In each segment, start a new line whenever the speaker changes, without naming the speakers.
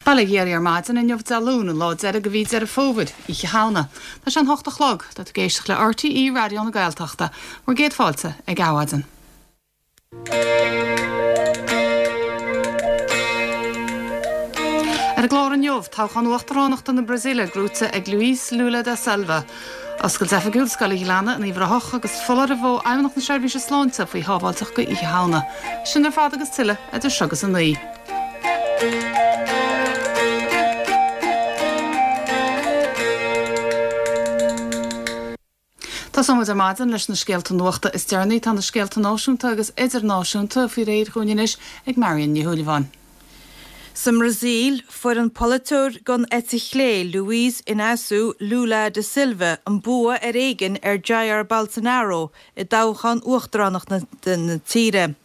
Bail ó Dhia oraibh ar maidin inniu Dé Luain, an lá deiridh de mhí Deireadh Fómhair, Oíche Shamhna. Tá sé an hocht a chlog. Tá tú ag éisteacht le RTÉ Raidió na Gaeltachta. Bhur gcéad fáilte ag Adhmhaidin. Ar an gclár inniu, toghchán uachtaránachta na Brasaíle gnóite ag Luiz Lula da Silva. Oscailt oifigiúil Scoil an Ghleanna in Uíbh Ráthach agus foláireamh ó Fheidhmeannacht na Seirbhíse Sláinte faoi shábháilteacht go Oíche Shamhna. Sin ar fad agus tuilleadh idir seo agus 9. Tosóidh muid ar maidin leis na scéalta nuachta is deireanaí. Tá na scéalta náisiúnta agus idirnáisiúnta faoi réir dhúinn anois ag Marion Ní Shúilleabháin.
Sa mBrasaíl, fuair an polaiteoir den eite chlé Luiz Inácio Lula da Silva an bua ar éigean ar Jair Bolsonaro i dtoghchán uachtaránachta na tíre.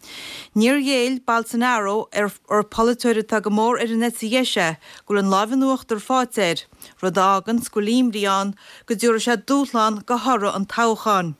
Níor ghéill Bolsonaro, ar polaiteoir atá go mór ar an eite dheis é, go bhfuil an láimh in uachtar faighte air, rud a fháganns go bhfuil imní ann go dtabharfaidh sé dúshlán do thoradh an toghcháin.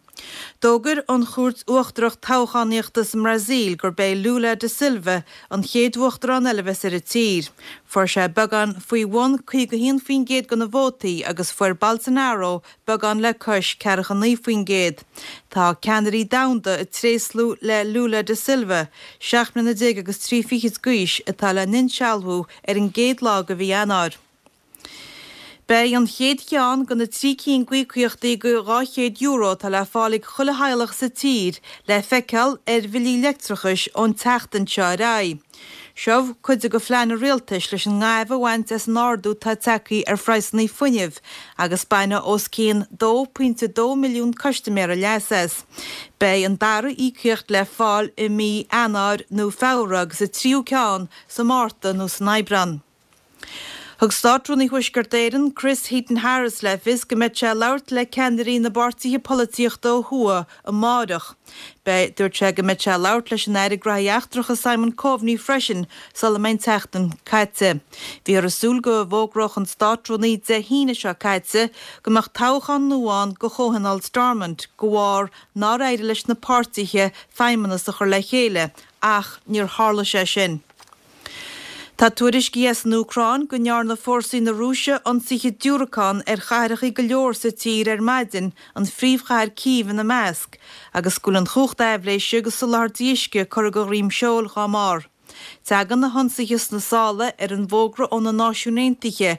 D'fhógair an Chúirt Uachtarach Toghchánaíochta sa mBrasaíl gurb é Lula da Silva an chéad uachtarán eile a bheas ar an tír. Fuair sé beagán faoi bhun 51% de na vótaí agus fuair Bolsonaro beagán le cois 49%. Tá ceannairí domhanda ag tréaslú le Lula da Silva, 17 mbliana agus 3 fichid d'aois, atá le n-insealbhú ar an gcéad lá de mhí Eanáir. Beidh an chéad cheann de na 3 cinn d'íocaíochtaí de €200 atá le fáil ag chuile theaghlach sa tír le feiceáil ar bhillí leictreachais ón tseachtain seo ar aghaidh. Seo cuid de phlean an rialtais leis an ngaimh a bhaint as an ardú atá tagtha ar phraghsanna fuinnimh agus bainfidh os cionn 2.2 milliún custaiméara leas as. Beidh an dara íocaíocht le fáil i mí Eanáir nó Feabhra agus an tríú ceann sa Márta nó san Aibreán. Thug Státrúnaí Thuaisceart Éireann, Chris Heaton-Harris le fios go mbeidh sé ag labhairt le ceannairí na bpáirtithe polaitíochta ó thuaidh amáireach. Beidh, dúirt sé go mbeidh sé ag labhairt leis an Aire Graithí Eachtracha Simon Coveney freisin sula mbeidh an tseachtain caite. Bhíothar ag súil go bhfógródh an Státrúnaí Dé hAoine seo caite go mbeadh toghchán nua ann do Chomhthionól Stormont de bharr nár éirigh leis na páirtithe feidhmeannas a chur le chéile ach níor tharla sé sin. Tá tuairiscí as an Úcráin go ndearna fórsaí na Rúise ionsaithe diúracán ar chathracha go leor sa tír ar maidin, an phríomhchathair Cív ina measc, agus go bhfuil an chumhacht aibhléise agus soláthairtí uisce curtha de dhroim seoil dhá mbarr. Tagann na hionsaithe sna sála ar an bhfógra ó na Náisiúin Aontaithe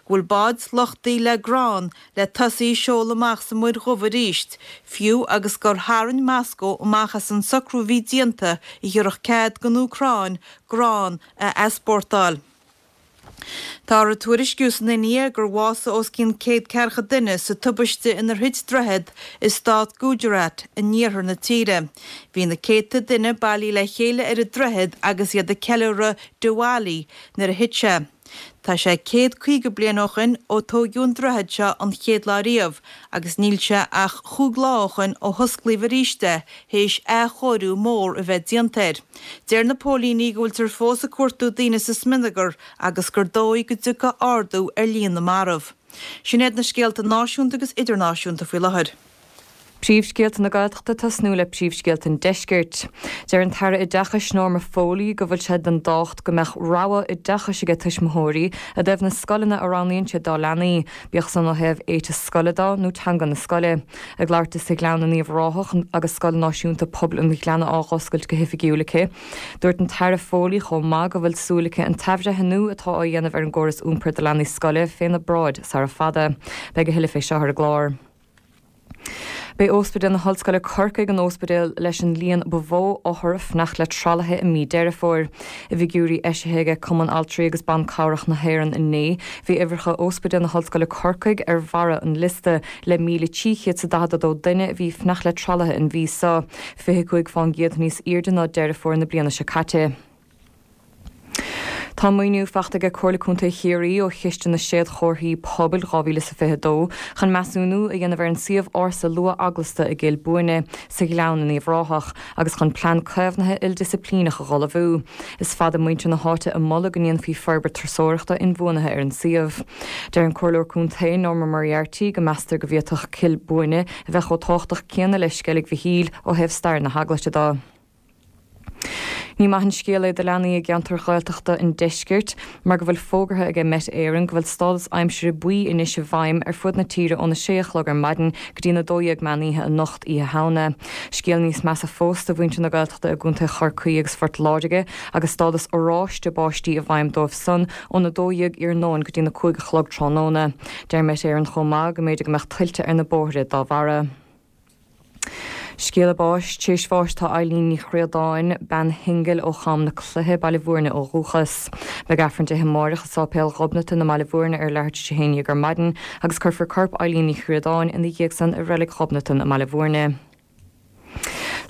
go bhfuil báid luchtaithe le grán le tosaí ag seoladh amach sa Muir Dhubh arís, fiú agus gur tharraing Moscó amach as an socrú a bhí déanta a thabharfadh cead don Úcráin grán a easpórtáil. Táthar ag tuairisciú san India gur bhásaigh os cionn 140 duine sa tubaiste inar thit droichead i stát Gujarat in iarthar na tíre. Bhí na céadta duine bailithe le chéile ar an droichead agus iad ag ceiliúradh Diwali nuair a thit sé. Tá sé 150 bliain ó shoin ó tóigeadh an droichead seo an chéad lá riamh agus níl sé ach chúig lá ó shoin ó hosclaíodh arís é théis athchóiriú mór a bheith déanta air. Deir na póilíní go bhfuiltear fós ag cuartú daoine sa smionagar agus gur dóigh go dtiocfaidh ardú ar líon na marbh. Sin iad na scéalta náisiúnta agus idirnáisiúnta faoi láthair.
Príomhscéalta na Gaeltachta ag tosnú le príomhscéalta an Deiscirt. Deir an tAire Oideachais Norma Foley go bhfuil sé den tábhacht go mbeadh rogha oideachais aige tuismitheoirí i dtaobh na scoileanna a roghnaíonn siad dá leanaí, bíodh san ó thaobh éiteas scoile dó nó teanga na scoile. Ag labhairt di sa Ghleann in Uíbh Ráthach agus Scoil Náisiúnta Pobail an Ghleanna á dh'oscailt go hoifigiúil aici, Dúirt an tAire Foley chomh maith go bhfuil súil aici an t-athbhreithniú atá á dhéanamh ar an gcóras iompair do leanaí scoile féna bráid sara fada. Beidh a thuilleadh fé seo ar an gclár. B'é Ospidéal na hOllscoile Corcaigh an ospidéal leis an líon ba mhó othar ag fanacht le tralaithe i mí Deireadh Fómhair. I bhfigiúirí eisithe aige Cumann Altraí agus Ban Cabhrach na hÉireann inné, bhí uimhreacha Ospidéal na hOllscoile Corcaigh ar bharra an liosta le 1,342 duine a bhí ag fanacht le tralaithe an mhí seo, 25 fán gcéad níos airde ná Deireadh Fómhair na bliana seo caite. Tá maoiniú faighte aige Comhairle Contae Chiarraí ó Chiste na Séadchomharthaí Pobail 2022 chun measúnú a dhéanamh ar an suíomh ársa luath-eaglasta i gCill Bhuaine sa Ghleann in Uíbh Ráthach agus chun plean caomhnaithe ildisciplíneach a dh'ullmhú. Is fada muintir na háite ag moladh go ndéanfaí forbairt turasóireachta inbhuanaithe ar an suíomh. Deir an Comhairleoir Contae Norma Moriarty go meastar go bhféadfadh Cill Bhuaine a bheith chomh tábhachtach céanna le Sceilg Mhichíl ó thaobh stair na heaglaise de. Ní maith an scéal é do leanaí i gceantair Ghaeltachta an deiscirt mar go bhfuil fógartha aige Met Éireann go bhfuil stádas aimsire buí anois i bhfeidhm ar fud na tíre óna sé a chlog ar maidin go dtí'n 12 meán oíche anocht, Oíche Shamhna. Scéal níos measa fós do mhuintir na Gaeltachta i gContae Chorcaí agus Phort Láirge agus stádas oráiste báistí i bhfeidhm dóibh san ón 12 iarnóin go dtí'n 5 a chlog tráthnóna. Deir Met Éireann chomh maith go mb'fhéidir go mbeadh tuilte ar na bóithre dá bharra. Scéala báis, Tar éis bháis atá Eileen Ní Chríodáin, bean shingil ó Cham na Cloiche, Baile Bhúirne ó dhúchas. Beidh Aifreann déithe amáireach i Sáipéal Ghobnatan i mBaile Bhúirne ar leathuair tar éis a haon dhéag ar maidin agus cuirfear corp Eileen Ní Chríodáin ina dhiaidh san i Reilig Ghobnatan i mBaile Bhúirne.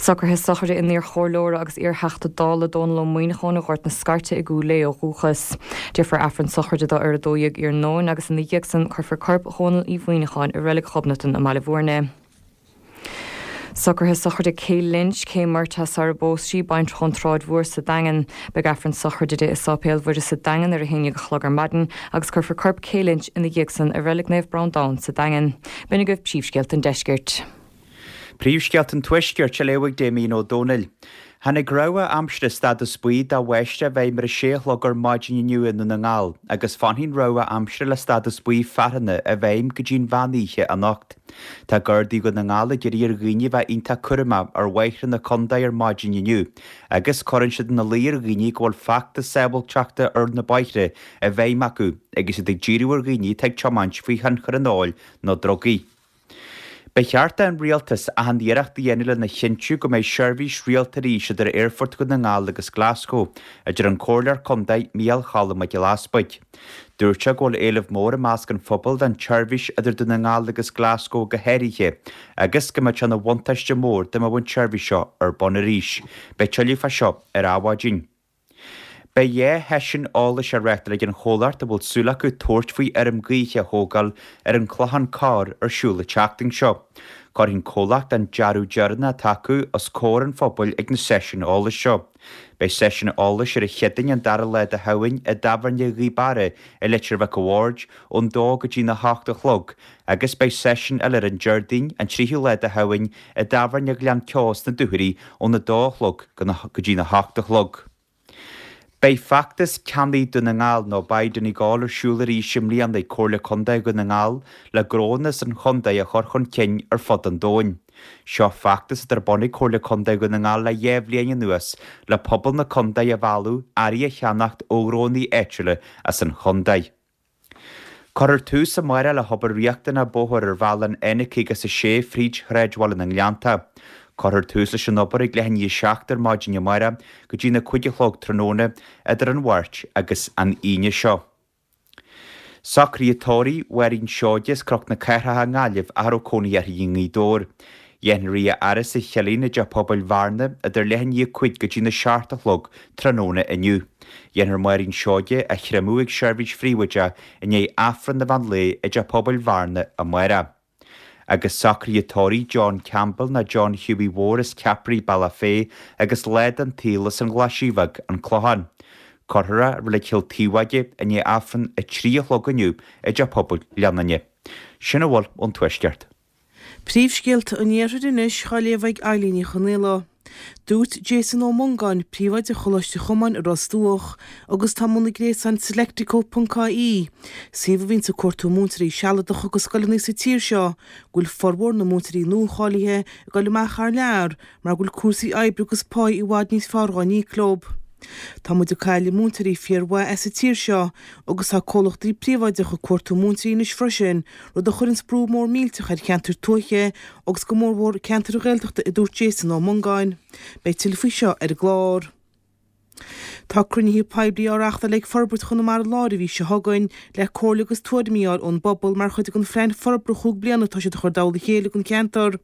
Socruithe sochraide an iar-chomhairleora agus iar-Theachta Dála Dónal Ó Muíneacháin ó Ghort na Scairte i gCúil Aodha ó dhúchas. Déarfar Aifreann sochraide dó ar 12 iarnóin agus ina dhiaidh san cuirfear corp Dhónaill Uí Mhuíneacháin i Reilig Ghobnatan i mBaile Bhúirne. Socruithe sochraide Kay Lynch, Kay Murtagh sara bpós sí, baintreach ón tSráid Mhór sa Daingean. Beidh Aifreann sochraide di i Sáipéal Mhuire sa Daingean ar 11 a chlog ar maidin agus cuirfear corp Kay Lynch ina dhiaidh san i Reilig Naomh Breandán sa Daingean. B'in agaibh príomhscéalta an deiscirt.
Príomhscéalta an Tuaiscirt á léamh ag Damien Ó Dónaill. Tháinig rabhadh aimsire stádas buí do bháisteach i bhfeidhm ar a sé a chlog ar maidin inniu i nDún na nGall agus fanfaidh an rabhadh aimsire le stádas buí fearthanna i bhfeidhm go dtí an mheán oíche anocht. Tá Gardaí Dhún na nGall ag iarraidh ar dhaoine a bheith iontach cúramach ar bhóithre na contae ar maidin inniu agus cuireann siad ina luí ar dhaoine go bhfuil feachtas sábháilteachta ar na bóithre i bhfeidhm acu agus iad ag díriú ar dhaoine atá ag tiomáint faoi thionchar an óil nó drugaí. Ba cheart don Rialtas achan iarracht a dhéanamh lena chinntiú go mbeidh seirbhís rialta arís idir Aerfort Dhún na nGall agus Glasgow, a deir an Comhairleoir Contae Micheál Cholm Mac Giolla Easbuig. Dúirt sé go bhfuil éileamh mór i measc an phobail don tseirbhís idir Dún na nGall agus Glasgow go háirithe agus go mbeadh sé ina bhuntáiste mór dá mbeadh an tseirbhís seo ar bun arís. Beidh tuilleadh fá seo ar Adhmhaidin. Beidh 2 sheisiún eolais á reáchtáil ag an chomhlacht a bhfuil súil acu tabhairt faoi fheirm gaoithe a thógáil ar an Chlochán Corr ar siúl an tseachtain seo. Cuirfidh an comhlacht an dearadh deireanach atá acu os comhair an phobail ag na seisiúin eolais seo. Beidh seisiún eolais ar an Chéadaoin an dara lá de Shamhain i dTábhairne Ghaoth Beara i Leitir Mhic a' Bhaird ón dó go dtí na hocht a chlog agus beidh seisiún eile ar an Déardaoin an tríú lá de Shamhain i dTábhairne Ghleann Ceo sna Dúchoraidh ón 2 a chlog go dtí na hocht a chlog. Beidh feachtas Ceannaigh Dún na nGall nó Buy Donegal ar siúl arís i mbliana ag Comhairle Contae Dhún na nGall le gnónna as an chontae a chur chun cinn ar fud an domhain. Seo feachtas atá ar bun ag Comhairle Contae Dhún na nGall le 2 bhliain anuas le pobal na contae a mhealladh earraí a cheannacht ó ghnónna áitiúla as an chontae. Cuirfear tús amárach le hobair riachtanach bóthair ar bhealach an N56 fríd shráidbhaile na nGleannta. Cuirfear tús leis an obair ag leath i ndiaidh a 7 ar maidin amárach go dtí na 5 a chlog tráthnóna idir an Mháirt agus an Aoine seo. Socruithe tórraimh Mháirín Seoige as Cnoc na Cathrach i nGaillimh ach a raibh cónaí uirthi i nGaoth Dobhair. Dhéanfar í a fhaire sa Chillín i dTeach Pobail Bhearna idir leath i ndiaidh 5 go dtí na 7 a chlog tráthnóna inniu. Dhéanfar Máirín Seoige a chreimeadh ag seirbhís phríobháideach i ndiaidh Aifreann an mheán lae i dTeach Pobail Bhearna amárach. Agus socruithe tórraimh John Campbell nó John Hughie Mhór as Ceapairí, Bealach Féich agus lá den tsaol as an Ghlaisigh Bheag, An Clochán. Cuirfear é i Reilig Chill Taobháige i ndiaidh Aifreann 3 a chlog inniu i dTeach Pobail Ghleann Fhinne. Sin a bhfuil ón Tuaisceart.
Príomhscéalta an Iarthair anois á léamh ag Eilín Ní Chonaola. Dúirt Jason Ó Mongáin, príomhoide Choláiste Chomáin i Ros Dumhach, agus atá i mbun an ghréasáin Selectico ponc ie, suíomh a bhíonns ag cuartú múinteoirí sealadacha go scoileanna sa tír seo, go bhfuil formhór na múinteoirí nuacháilithe ag dul amach thar lear mar go bhfuil cúrsaí oibre agus páí i bhfad níos fearr dhá n-íoc leo. Tá muid ag cailleadh múinteoirí fíormhaith as an tír seo agus tá comhlachtaí príobháideacha ag cuartú múinteoirí anois freisin, rud a chuireanns brú mór millteach ar cheantair tuaithe agus go mórmhór ceantair Ghaeltachta a dúirt Jason Ó Mongáin. Beidh tuilleadh faoi seo ar an gclár. Tá cruinnithe poiblí á reáchtáil ag Forbairt Chonamara Láir an mhí seo chugainn le comhairle agus tuairimí a fháil ón bpobal mar chuid den phlean forbartha chúig bliana atá siad a chur i dtoll a chéile don cheantar.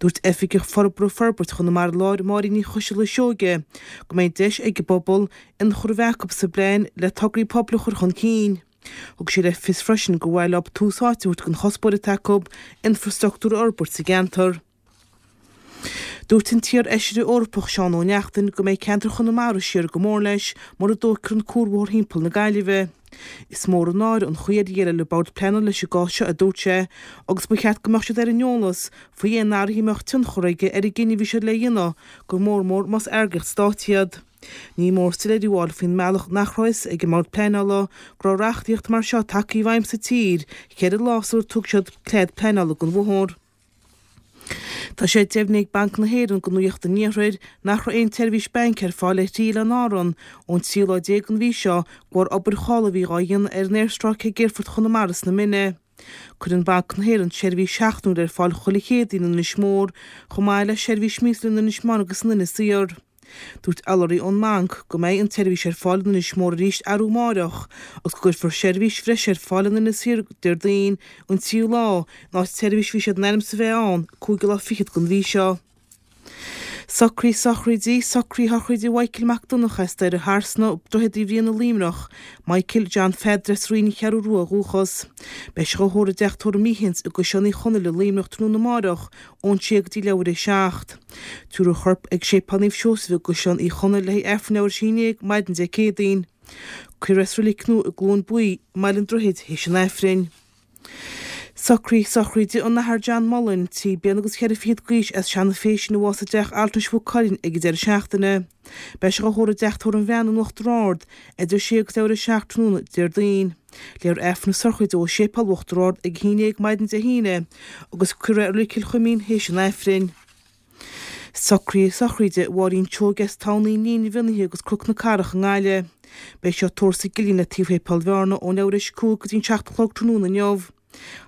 Dúirt Oifigeach Forbartha Forbairt Chonamara Láir, Máirín Ní Choiseala Seoige, go mbeidh deis ag an bpobal ionchur a bheith acu sa bplean le tograí pobail a chur chun cinn. Thug sí le fios freisin gur mhaith leo tús áite a thabhairt don chuspóir atá acu infrastruchtúr a fhorbairt sa gceantar. Dúirt an t-iar-fheisire Eorpach Seán Ó Neachtain go mbeidh ceantar Chonamara siar go mór leis mura dtógfar an cuarbhóthar thimpeall na Gaillimhe. Is mór an náire an chaoi ar dhéileáil an Bord Pleanála leis an gcás seo, a dúirt sé, agus ba cheart go mbeadh siad ar an eolas faoi aon athruithe a mbeadh tionchar aige ar an gcinneadh a bhí siad le dhéanamh, go mór mór más eagraíocht stáit iad. Ní mór soiléiriú a fháil faoin mbealach nach raibh a fhios ag an mBord Pleanála go raibh reachtaíocht mar seo tagtha i bhfeidhm sa tír cheithre lá sular tug siad cead pleanála don bhóthar. Tá sé deimhnithe ag Banc na hÉireann do Nuacht an Iarthair nach raibh aon tseirbhís bainc ar fáil ar thrí oileán Árann ón tríú lá déag den mhí seo de bharr obair chothabhála a bhí dhá dhéanamh ar an aerstráice ag Aerfort Chonamara sna Mine. Cuireann Banc na hÉireann seirbhís sheachtainiúil ar fáil chuile Chéadaoin in Inis Mór chomh maith le seirbhís míosúil in Inis Meáin agus in Inis Oírr. Dúirt urlabhraí ón mbanc go mbeidh an tseirbhís ar fáil in Inis Mór arís arú amáireach agus go gcuirfear seirbhís bhreise ar fáil in Inis Oírr Déardaoin an tríú lá in áit tseirbhís a bhí siad in ainm is a bheith ann cúigiú lá fichead den mhí seo. Socruithe sochraide, Socruithe sochraide Mhichael Mac Donncha as Doire Tharsna, Droichead Uí Bhriain i Luimneach, Michael John Pheadair as Rinn an Cheathrú Rua ó dhúchas. Beidh sé dhá thórramh i dTeach Tórraimh Meehans i gCaisleán Uí Chonaill i Luimneach tráthnóna amáireach ón sé go dtí leathuair théis a 7. Tabharfar a chorp ag Séipéal Naomh Seosamh i gCaisleán Uí Chonaill le haghaidh Aifreann leathuair théis a 11 maidin Dé Céadaoin. Cuirfear é sa reilig nua i gCluain Buí i mBaile an Droichid théis an Aifrinn. Socruithe sochraide an Athar John Mullen, 3 bliana agus cheithre fichead d'aois as Seanadh Fèisean a bhásaigh i dTeach Altranais Mhaigh Cuilinn ag an deireadh seachtaine. Beidh sé dhá thórramh i dTeach Tórraimh an Bhreathnaigh in Uachtar Ard idir 6 agus leathuair théis a 7 tráthnóna Déardaoin. Léifear Aifreann na sochraide dó i Séipéal Uachtar Ard ag 11 maidin Dé hAoine agus cuirfear é i Reilig Chill Chuimín théis an Aifrinn. Socruithe sochraide Mháirín Seoige as Tamhnaí Níon an Mhionnaithe agus Cnoc na Cathrach i nGaillimh. Beidh sí á tórramh sa gCillín le taobh Shéipéal Bhearna ón leathuair théis 5 go dtí an 7 a chlog tráthnóna inniu.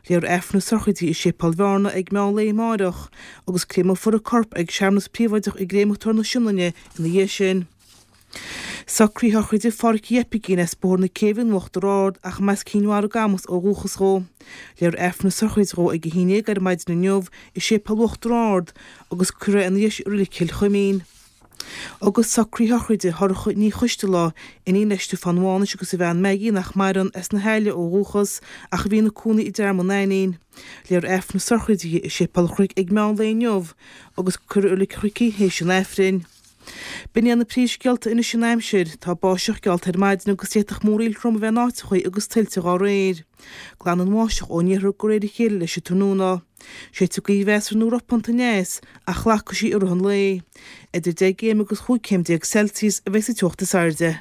Léifear Aifreann na sochraide i Séipéal Bhearna ag meán lae amáireach agus créamófar a corp ag searmanas príobháideach i gCréamatóir na Sionainne ina dhiaidh sin. Socruithe sochraide Pháraic Uí Oipigín as Bóthar na Céibhe in Uachtar Ard ach ab as Cinn Mhara Camas ó dhúchas dhó. Léifear Aifreann na sochraide dhó ag 11 ar maidin inniu i Séipéal Uachtar Ard agus cuirfear é ina dhiaidh sin i Reilig Chill Chuimín. Agus socruithe sochraide Shorcha Ní Choistealbha, iníon le Stiofán Mhánais agus a bhean Maggie nach maireann, as na hAille ó dhúchas ach a bhí ina cónaí i dTearmann Ainnín. Léifear Aifreann na sochraide di i Séipéal an Chnoic ag meán lae inniu agus cuirfear i Reilig an Chnoic í théis an Aifrinn. B'in iad na príomhscéalta anois an aimsir. Tá báisteach geallta ar maidin agus d'fhéadfadh múraíl throm a bheith in áiteachaí agus tuilte dhá réir. Glanfaidh an bháisteach ón iarthar de réir a chéile leis an tráthnóna. Séidfidh gaoth mheasartha nó ropánta aneas ach glacfaidh sí i rith an lae. Idir 10 gcéim agus 15 céim Celsius a bheidh sa teocht is airde.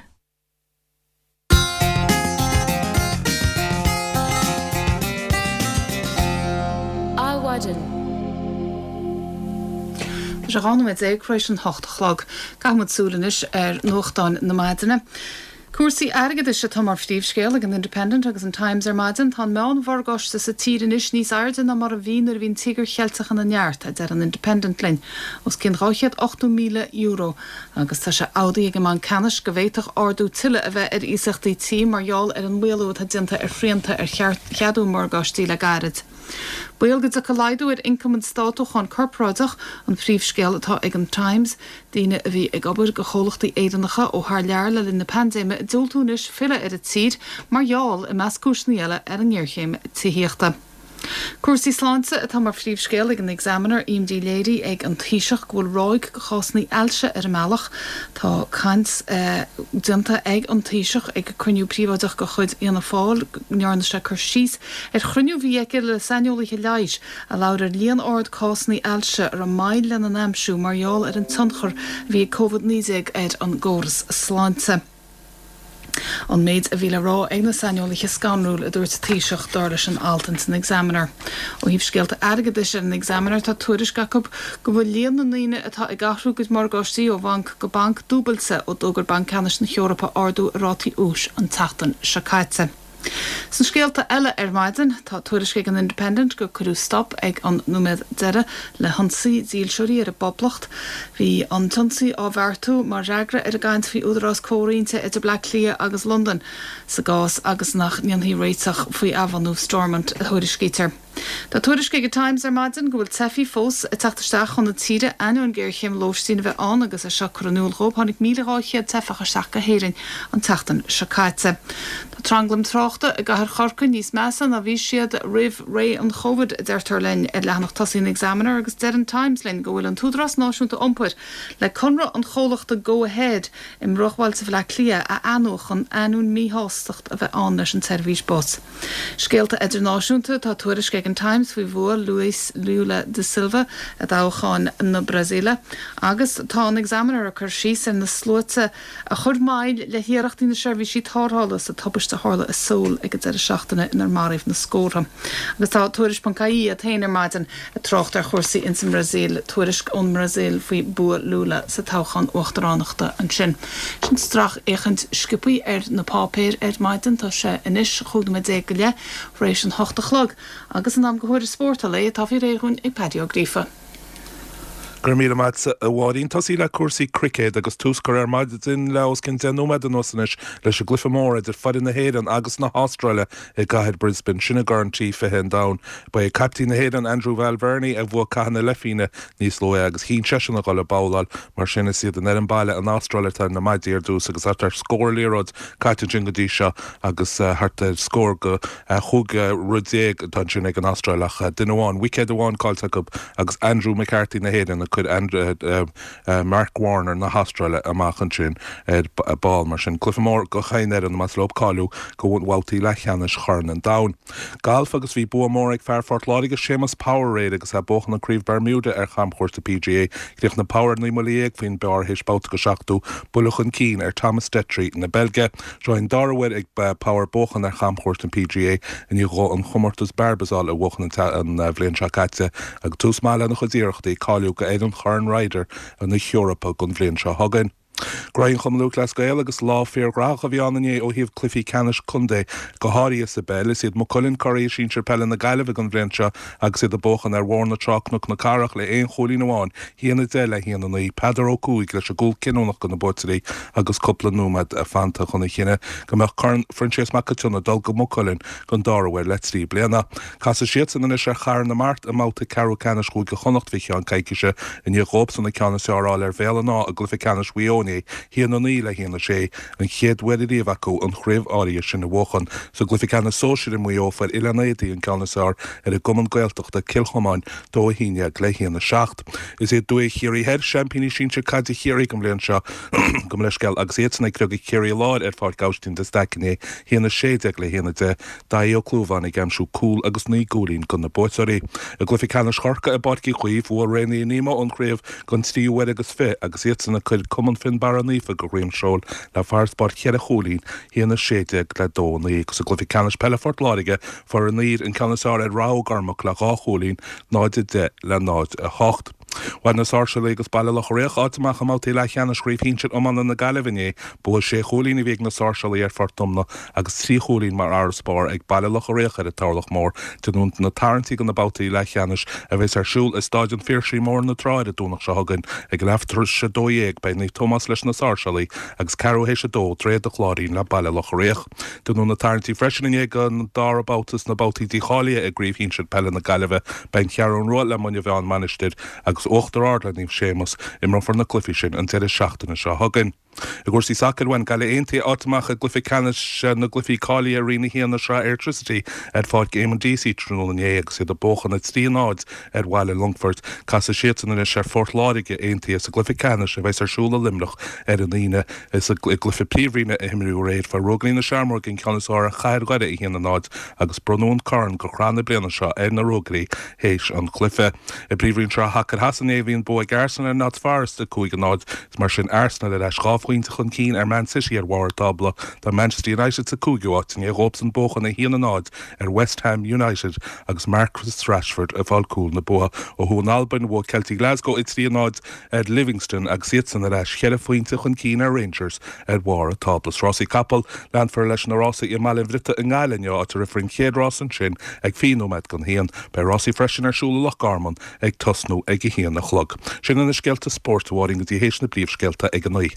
Adhmhaidin. Tá sé 12 nóiméad tar éis an hocht a chlog. Caithfidh muid súil anois ar nuachtáin na maidine. Cúrsaí airgeadais atá mar phríomhscéal ag an Independent agus an Times ar maidin. Tá an meán-mhorgáiste sa tír anois níos airde ná mar a bhí nuair a bhí an Tíogar Cheilteach ina neart, a deir an Independent linn. Os cionn €280,000. Agus tá sé amhdaithe ag an mBanc Ceannais go bhféadfadh ardú tuilleadh a bheith ar iasachtaí tí mar gheall ar an maolú atá déanta ar shrianta ar cheadú morgáistí le gairid. Baol go dtiocfaidh laghdú ar ioncam an Stáit ó cháin corparáideach, an príomhscéal atá ag an Times. Daoine a bhí ag obair do chomhlachtaí Éireannacha ó thar lear le linn na paindéime ag diúltú anois filleadh ar an tír mar gheall, i measc cúiseanna eile, ar an ngéarchéim tithíochta. Cúrsaí sláinte atá mar phríomhscéal ag an Examiner, Imní léirithe ag an Taoiseach go bhfuil ráig de chásanna ailse ar an mbealach. Tá caint déanta ag an Taoiseach ag cruinniú príobháideach de chuid Fhianna Fáil go ndearna sé cur síos ar chruinniú a bhí aige le saineolaithe leighis a labhair ar líon ard cásanna ailse a raibh moill lena n-aimsiú mar gheall ar an tionchar a bhí ag Covid-19 ar an gcóras sláinte. An méid a bhí le rá ag na saineolaithe scanrúil, a dúirt an Taoiseach, dar leis an alt ins an Examiner. Ó thaobh scéalta airgeadais ar an Examiner, tá tuairisc acu go bhfuil líon na ndaoine atá ag athrú a gcuid morgáistí ó bhanc go banc dúbailte ó d'fhógair Banc Ceannais na hEorpa ardú i rátaí úis an tseachtain seo caite. Sna scéalta eile ar maidin, tá tuairisc ag an Independent gur cuireadh stop ag an nóiméad deiridh le hionsaí dílseoirí ar an bPoblacht. Bhí an t-ionsaí á bheartú mar fhreagra ar an gcaint faoi údarás comhroinnte idir Bleá Cliath agus Londain sa gcás agus nach ndéanfaí réiteach faoi athbhunú Stormont, a thuairiscítear. Tá tuairisc ag an Times ar maidin go bhfuil teifigh fós ag teacht isteach chun na tíre ainneoin géarchéim lóistín a bheith ann agus é seo curtha in iúl dhóibh. Tháinig 1,200 teifeach isteach go hÉirinn an tseachtain seo caite. Tá tranglaim tráchta i gcathair Chorcaí níos measa ná bhí siad roimh ré an Chovid, a deirtear linn ar leathanach tosaigh an Examiner agus deir an Times linn go bhfuil an tÚdarás Náisiúnta Iompair le conradh an chomhlachta Go Ahead i mbruachbhailte Bhaile Átha Cliath a athnuachan ainneoin míshástacht a bheith ann leis an tseirbhís bus. Scéalta idirnáisiúnta, Tá tuairisc ag an. Brazilian Times faoi bhua Luis Lula da Silva i dtoghchán na Brasaíle. Agus tá an Examiner ag cur síos ar na sluaite a chuir moill le hiarrachtaí na seirbhísí tarrthála sa tubaiste a tharla i Seoul ag an deireadh seachtaine inar maraíodh na scórtha. Agus tá Tuairisc ponc ie iad féin ar maidin ag trácht ar chúrsaí ins an mBrasaíl, tuairisc ón mBrasaíl faoi bua Lula sa toghchán uachtaránachta ansin. Sin sracfhéachaint sciobthaí ar na páipéir ar maidin. Tá sé anois 15 nóiméad go leith tar éis an hocht a chlog agus in am do thuairisc spóirt an lae atá faoi réir dhúinn ag Paddy Ó Gríofa.
Go raibh míle maith agat, a Mháirín. Tosaí le cúrsaí cruicéid agus tús curtha ar maidin le os cionn 10 nóiméad anuas anois leis an gcluiche mór idir foireann na hÉireann agus na hAstráile i gcathair Brisbane, sin i gCorn T20 an Domhain. Ba é caiptín na hÉireann, Andrew Balbirnie, a bhuaigh cath na leithphingine níos luaithe agus chinn seisean a dhul ag babhláil. Mar sin, is iad an fhoireann baile, an Astráil, atá ar na maidí ar dtús agus thart ar scór liathróid caite ansin go dtí seo agus thart ar scór go 15 rud atá ansin ag an Astráil ach duine amháin, wicéad amháin caillte acu agus Andrew McCarthy na hÉireann ag cur Mark Warner na hAstráile amach ansin ar ball. Mar sin, cluiche mór do chaon fhoireann más leo cáiliú go bhabhtaí leathcheannais Chorn an Domhain. Galf agus bhí bua mór ag fear Phort Láirge, Séamus Power aréir agus é ag buachan an Craobh Bermuda ar chamchuairt an PGA. Chríochnaigh Power ar 19 mbuille faoin bpar théis babhta go 70 buille chun cinn ar Thomas Detry na Beilge. Seo an dara huair ag Power buachan ar chamchuairt an PGA i ndiaidh dhó an chomórtas Barbasol a bhuachan an bhliain seo caite agus tús maith lena chuid iarrachtaí cáiliú go fhoireann Chorn Ryder na hEorpa don bhliain seo chugainn. Graí an Chumann Lúthchleas Gael agus lá fíorghnóthach a bhí ann inné ó thaobh cluichí ceannais contae, go háirithe sa bpeil. Is iad Maigh Cuilinn curaidh sinsir peile na Gaillimhe don bhliain seo agus iad ag buachan ar Bhóthar na Trá-Cnoc na Cathrach le aon chúilín amháin, 1-10 le 1-9, Peadar Ó Cuaig leis an gcúl cinniúnach do na buaiteoirí agus cúpla nóiméad fanta chun a chinneadh go mbeadh Corn Phroinsias Mac an tSionnaigh ag dul go Maigh Cuilinn don dara huair le 3 bliana. Casfaidh siadsan anois ar Chathair na Mart i mbabhta ceathrú ceannais Chúige Chonnacht faoi cheann coicíse i ndiaidh dhóibhsan an ceann is fearr a fháil ar Bhéal an Átha i gcluiche ceannais Mhaigh Eo inné, 1-9 le 1-6, an chéad uair ariamh acu an chraobh áirithe sin a bhuachan. Sa gcluiche ceannais sóisir i Maigh Eo fuair Oileán Éadaí an ceann is fearr ar an gcumann Gaeltachta, Cill Chomáin, 2-11 le 1-7. Is iad Dumhaigh Chiarraí Thoir, seaimpíní sinsir caide Chiarraí don bhliain seo, gabh mo leithscéal, agus iadsan ag criogadh Ciarraí Láir ar Pháirc Aibhistín de Staic inné, 1-16 le 1-10, Daithí Ó Clúmháin ag aimsiú cúl agus 9 gcúilín do na buaiteoirí. I gcluiche ceannais Chorcaí i bPáirc Uí Chaoimh, bhuaigh Rae Naomh Nemo an chraobh don tríú huair agus fiche agus iadsan ag cur Cumann Fionnbarra Naofa de dhroim seoil le farasbarr cheithre chúilín, 1-16 le 2-9. Agus i gcluiche ceannais peile Phort Láirge, fuair an Uidhir an ceann is fearr ar Rath Ó gCormac le dhá chúilín, 0-10 le 0-8. Bhain na Sáirséalaigh agus Baile Locha Riach áit amach i mbabhtaí leathcheannais Chraobh Shinsir Iomána na Gaillimhe inné. Bua sé chúilín a bhí ag na Sáirséalaigh ar Phort Omna agus trí chúilín mar fharasbarr ag Baile Locha Riach ar an Turlach Mór. Déanadh na tarraingtí do na babhtaí leathcheannais a bheas ar siúl i Stáid an Phiarsaigh i mBóthar na Trá ar an Domhnach seo chugainn ag leath tar éis 12. Beidh Naomh Tomás leis na Sáirséalaigh agus ceathrú théis 2 Droichead an Chláirín le Baile Locha Riach. Déanadh na tarraingtí freisin inné don dara babhta sna babhtaí dícháilithe i gCraobh Shinsir Peile na Gaillimhe. Beidh An Cheathrú Rua le Muine Mheá-An Mhainistir agus Uachtar Ard le Naomh Séamus. Imreofar na cluichí sin an deireadh seachtaine seo chugainn. I gcúrsaí sacair, bhain Gaillimh Aontaithe áit amach i gcluiche ceannais na gcluichí cáilithe Roinn 1 na Sraithe Airtricity ar Pháirc Eamonn Deacy tráthnóna inné agus iad ag buachan 3-0 ar Bhaile Longfoirt. Casfaidh siadsan anois ar Phort Láirge Aontaithe sa gcluiche ceannais a bheas ar siúl i Luimneach ar an Aoine. I gcluiche Príomhroinne a imríodh aréir, fuair Ruagairí na Seamróige an ceann is fearr ar Chathair Dhoire 1-0 agus bronnadh an corn do chraobh na bliana seo ar na Ruagairí théis an chluiche. I bPríomhroinn Sraith Shacair Shasana inné bhí an bua ag Arsenal ar Notts Forest 5-0. Is mar sin Arsenal ar ais dhá phointe chun cinn ar Man City ar bharr an tábla. Tá Manchester United sa cúigiú háit i ndiaidh dhóibhsan buachan 1-0 ar West Ham United agus Marcus Rashford ag fáil cúl na bua. Ó thuaidh in Albain, bhuaigh Celtic Glasgow 3-0 ar Livingston agus iadsan ar ais cheithre phointe chun cinn ar Rangers ar bharr an tábla. Is rásaí capall, leanfar leis na rásaí i mBaile an Bhriotaigh i nGaillimh inniu áit a rithfear an chéad rás ansin ag 20 nóiméad don haon. Beidh rásaí freisin ar siúl i Loch Garman ag tosnú ag a haon a chlog. Sin iad na scéalta spóirt, a Mháirín, go dtí théis na bpríomhscéalta ag a naoi.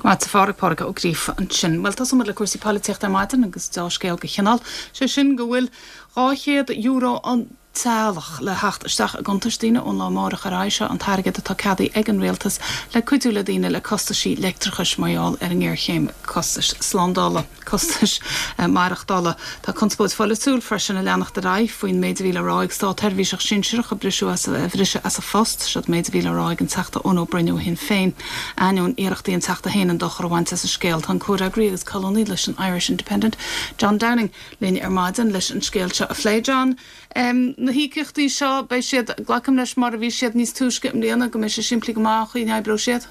Go maith agat, a Phádraig, Pádraig Ó Gríofa ansin. Bhuel, tosóidh muid le cúrsaí polaitíochta ar maidin agus deá-scéal de chineál, sé sin go bhfuil €200 an. teaghlach le theacht isteach i gcuntais daoine ón lá amárach ar aghaidh. Seo an t-airgead atá ceadaithe ag an Rialtas le cuidiú le daoine le costaisí leictreachais mar gheall ar an ngéarchéim costais slándála, costais maireachtála. Tá conspóid pholaitiúil freisin ag leanacht ar aghaidh faoin méid a bhí le rá ag státsheirbhíseach sinsearach a briseadh as a bhriseadh as a phost. Seo an méid a bhí le rá ag an Teachta Eoin Ó Broin ó Shinn Féin. Ainneoin iarrachtaí an Teachta féin an dochar a bhaint as an scéal, tá an comhfhreagraí agus colúnaí leis an Irish Independent, John Downing, linn ar maidin leis an scéal seo a phlé. John, na híocaíochtaí seo, beidh siad, glacaim leis, mar a bhí siad níos túisce i mbliana, go mbeidh sé simplí go maith an chaoi a n-oibreoidh siad?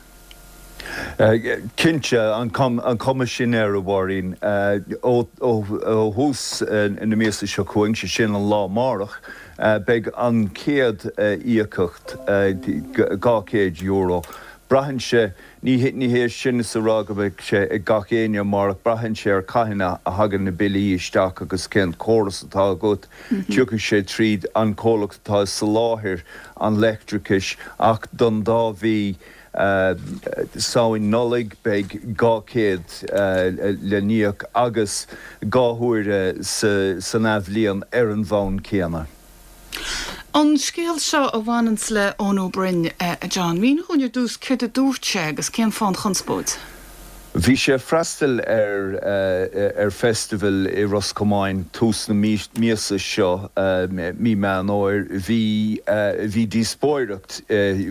Cinnte, an chuma sin air, a Mháirín. Ó thús na míosa seo chugainn, sé sin an lá amárach, beidh an chéad íocaíocht, €200. Braitheann sé Ní hé sin is a rá go mbeidh sé ag gach éinne amárach, braitheann sé ar cathain a thagann na billí isteach agus cén córas atá agat. Tiocfaidh sé tríd an comhlacht atá ag soláthair an leictreachais ach don dá mhí, Samhain, Nollaig, beidh 200 le n-íoc agus 2 huaire san athbhliain ar an bhonn céanna.
An scéal seo a bhaineanns le Eoin Ó Broin, a John, mínigh dhúinn ar dtús céard a dúirt sé agus cén fáth an chonspóid?
Bhí sé ag freastal ar ar festival i Ros Comáin tús na míosa seo, mí Meán Fhómhair. Bhí bhí díospóireacht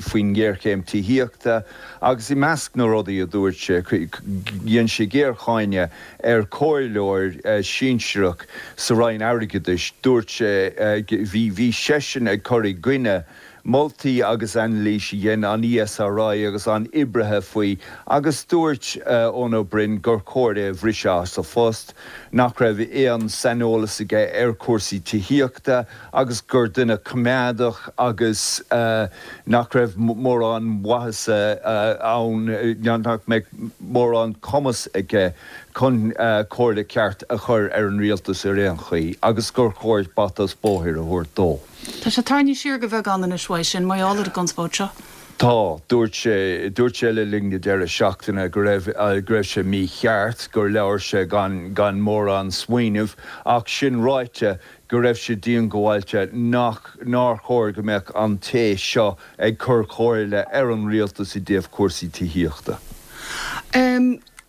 faoin ngéarchéim tithíochta agus i measc na rudaí a dúirt sé, dhein sé géarcháineadh ar chomhairleoir sinsearach sa Roinn Airgeadais, dúirt sé, bhí, bhí seisean ag cur i gcoinne moltaí agus anailís a dhein an ESRI agus an oibrithe faoi agus dúirt Eoin Ó Broin gur chóir é a bhriseadh as a phost, nach raibh aon saineolas aige ar chúrsaí tithíochta agus gur duine coimeádach agus nach raibh mórán maitheasa ann, nach mbeadh mórán cumas aige chun comhairle ceart a chur ar an rialtas ar aon chaoi agus gur chóir bata is bóthair a thabhairt dó.
Tá sé tarraingthe siar de bheagán anois uaidh sin mar gheall ar an gconspóid seo.
Tá. Dúirt sé, dúirt sé le linn na deireadh seachtaine go raibh, go raibh sé mícheart, gur labhair sé gan, gan mórán smaoinimh ach sin ráite, go raibh sé diongbháilte nach, nár chóir go mbeadh an té seo ag cur comhairle ar an rialtas i dtaobh cúrsaí tithíochta.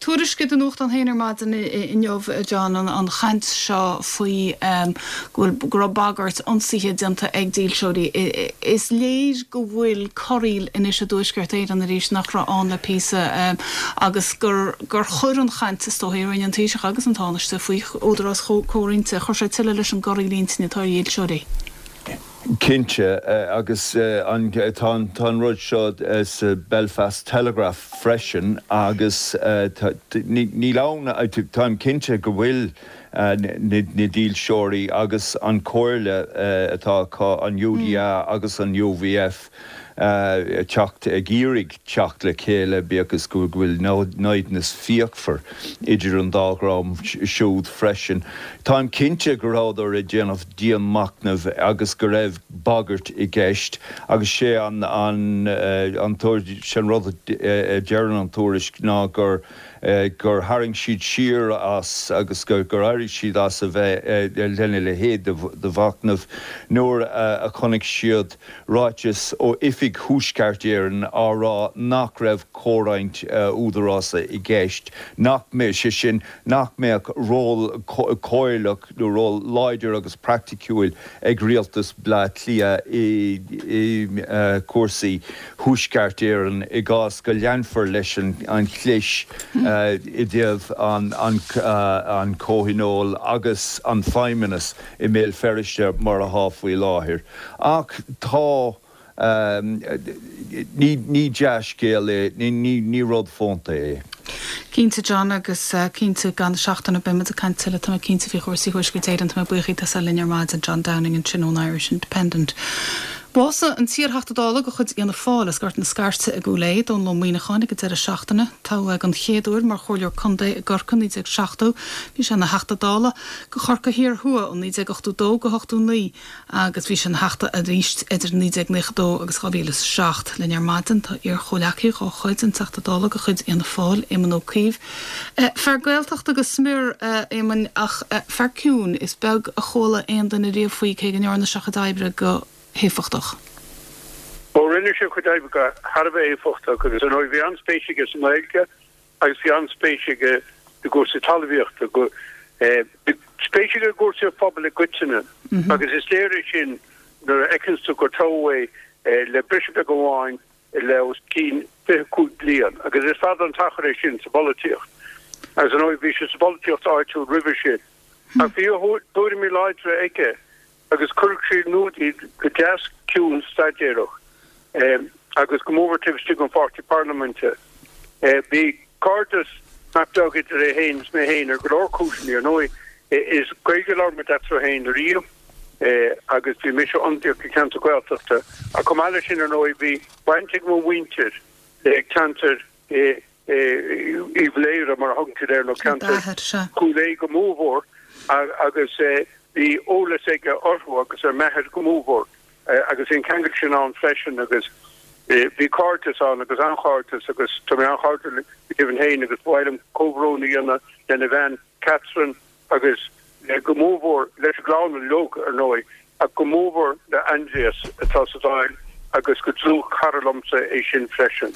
Tuairisc i do nuachtán féin ar maidin inniu, a John, an chaint seo faoi go bhfuil, go raibh bagairt ionsaithe déanta ag dílseoirí. Is léir go bhfuil corraíl anois i dTuaisceart Éireann arís nach raibh ann le píosa agus gur, gur chuir an chaint, is dóigh, a rinne an Taoiseach agus an Tánaiste faoi údarás comhroinnte, chuir sé tuilleadh leis an gcorraíl intinne atá ar dhílseoirí.
Cinnte, agus tá an rud seo sa Belfast Telegraph freisin agus níl ann, táim cinnte go bhfuil na dílseoirí agus an chomhairle atá acu, an UDA agus an UVF, teacht, ag iarraidh teacht le chéile, bíodh is go bhfuil naimhdeas fíochmhar idir an dá dhream siúd freisin. Táim cinnte go rabhadar ag déanamh dian-mhachnaimh agus go raibh bagairt i gceist agus sé an an sé an rud a deireann an tuairisc ná gur gur tharraing siad siar as agus gur éirigh siad as a bheith lena leithéid de mhachnamh nuair a chonaic siad ráiteas ó Oifig Thuaisceart Éireann á rá nach raibh comhroinnt údarása i gceist, nach mbeadh, sé sin, nach mbeadh ról comhairleach nó ról láidir agus praiticiúil ag rialtas Bhaile Átha Cliath i gcúrsaí Thuaisceart Éireann i gcás go leanfar leis an chlis i dtaobh an Chomhthionóil agus an Feidhmeannas i mBéal Feirste mar atá faoi láthair. Ach tá, ní dea-scéal é, ní rud fónta é.
Cinnte John, agus cinnte i gceann seachtaine beidh muid ag caint tuilleadh, tá mé cinnte, faoi chúrsaí Thuaisceart Éireann. Tá mé buíoch díot as a bheith linn ar maidin, John Downing ansin ón Irish Independent. Bhásaigh an t-iarTheachta Dála de chuid Fhianna Fáil as Gort na Scairte i gCúil Aodha, Dónall Ó Muíneacháin, ag an deireadh seachtaine. Toghadh é den chéad uair mar Chomhairleoir Contae i gCorcaigh i 1970. Bhí sé ina Theachta Dála do Chorcaigh Thiar Thuaidh ó 1982 go 89 agus bhí sé ina Theachta arís idir 1992 agus 2007. Linn ar maidin tá iar-chomhleacaí dhá chuid, an Teachta Dála de chuid Fhianna Fáil, Éamon Ó Cuív. Fear Gaeltachta go smior, a Éamoin, ach fear ciúin. Is beag a chuala aon duine riamh faoi cé go ndearna sé a chuid oibre go héifeachtach.
Ó, rinne sé a chuid oibre go thar a bheith éifeachtach agus ar ndóigh bhí an-spéis aige sa nGaeilge agus bhí an-spéis aige i gcúrsaí talmhaíochta. Bhí spéis aige i gcúrsaí an phobail i gcoitinne agus is léir é sin nuair a fheiceanns tú gur toghadh é le briseadh beag amháin le os cionn 25 bliain, agus is fada an t-achar é sin sa bpolaitíocht. Agus ar ndóigh bhí sé sa bpolaitíocht áitiúil roimhe sin. Ach bhí a thuairimí láidre aige agus chuireadh sé in iúl iad go deas ciúin staidéarach, agus go mórmhór taobh istigh den pháirtí parlaiminte. Bhí cairdeas nach beag idir é féin is mé féin ar go leor cúiseanna. Ar ndóigh is Gaeilge a labhair muid eatarthu féin ariamh. agus bhí mise ionadaíoch do cheantar Gaeltachta ach chomh maith leis sin ar ndóigh bhí baint ag mo mhuintir le ceantar Uíbh Laoghaire mar a thugann siad air nó ceantar Chúil Aodha go mórmhór agus bhí eolas aige orthu agus ar m'athair go mórmhór agus bhí an ceangal sin ann freisin agus bhí cairdeas ann agus an-chairdeas agus tá mé an-chairdiúil go deimhin féin agus ba mhaith liom comhbhrón a dhéanamh lena bhean Catherine agus go mórmhór leis an gclann uilig, ar ndóigh, ach go mórmhór le Aindrias atá sa Dáil agus gur dlúthchara liomsa é sin freisin.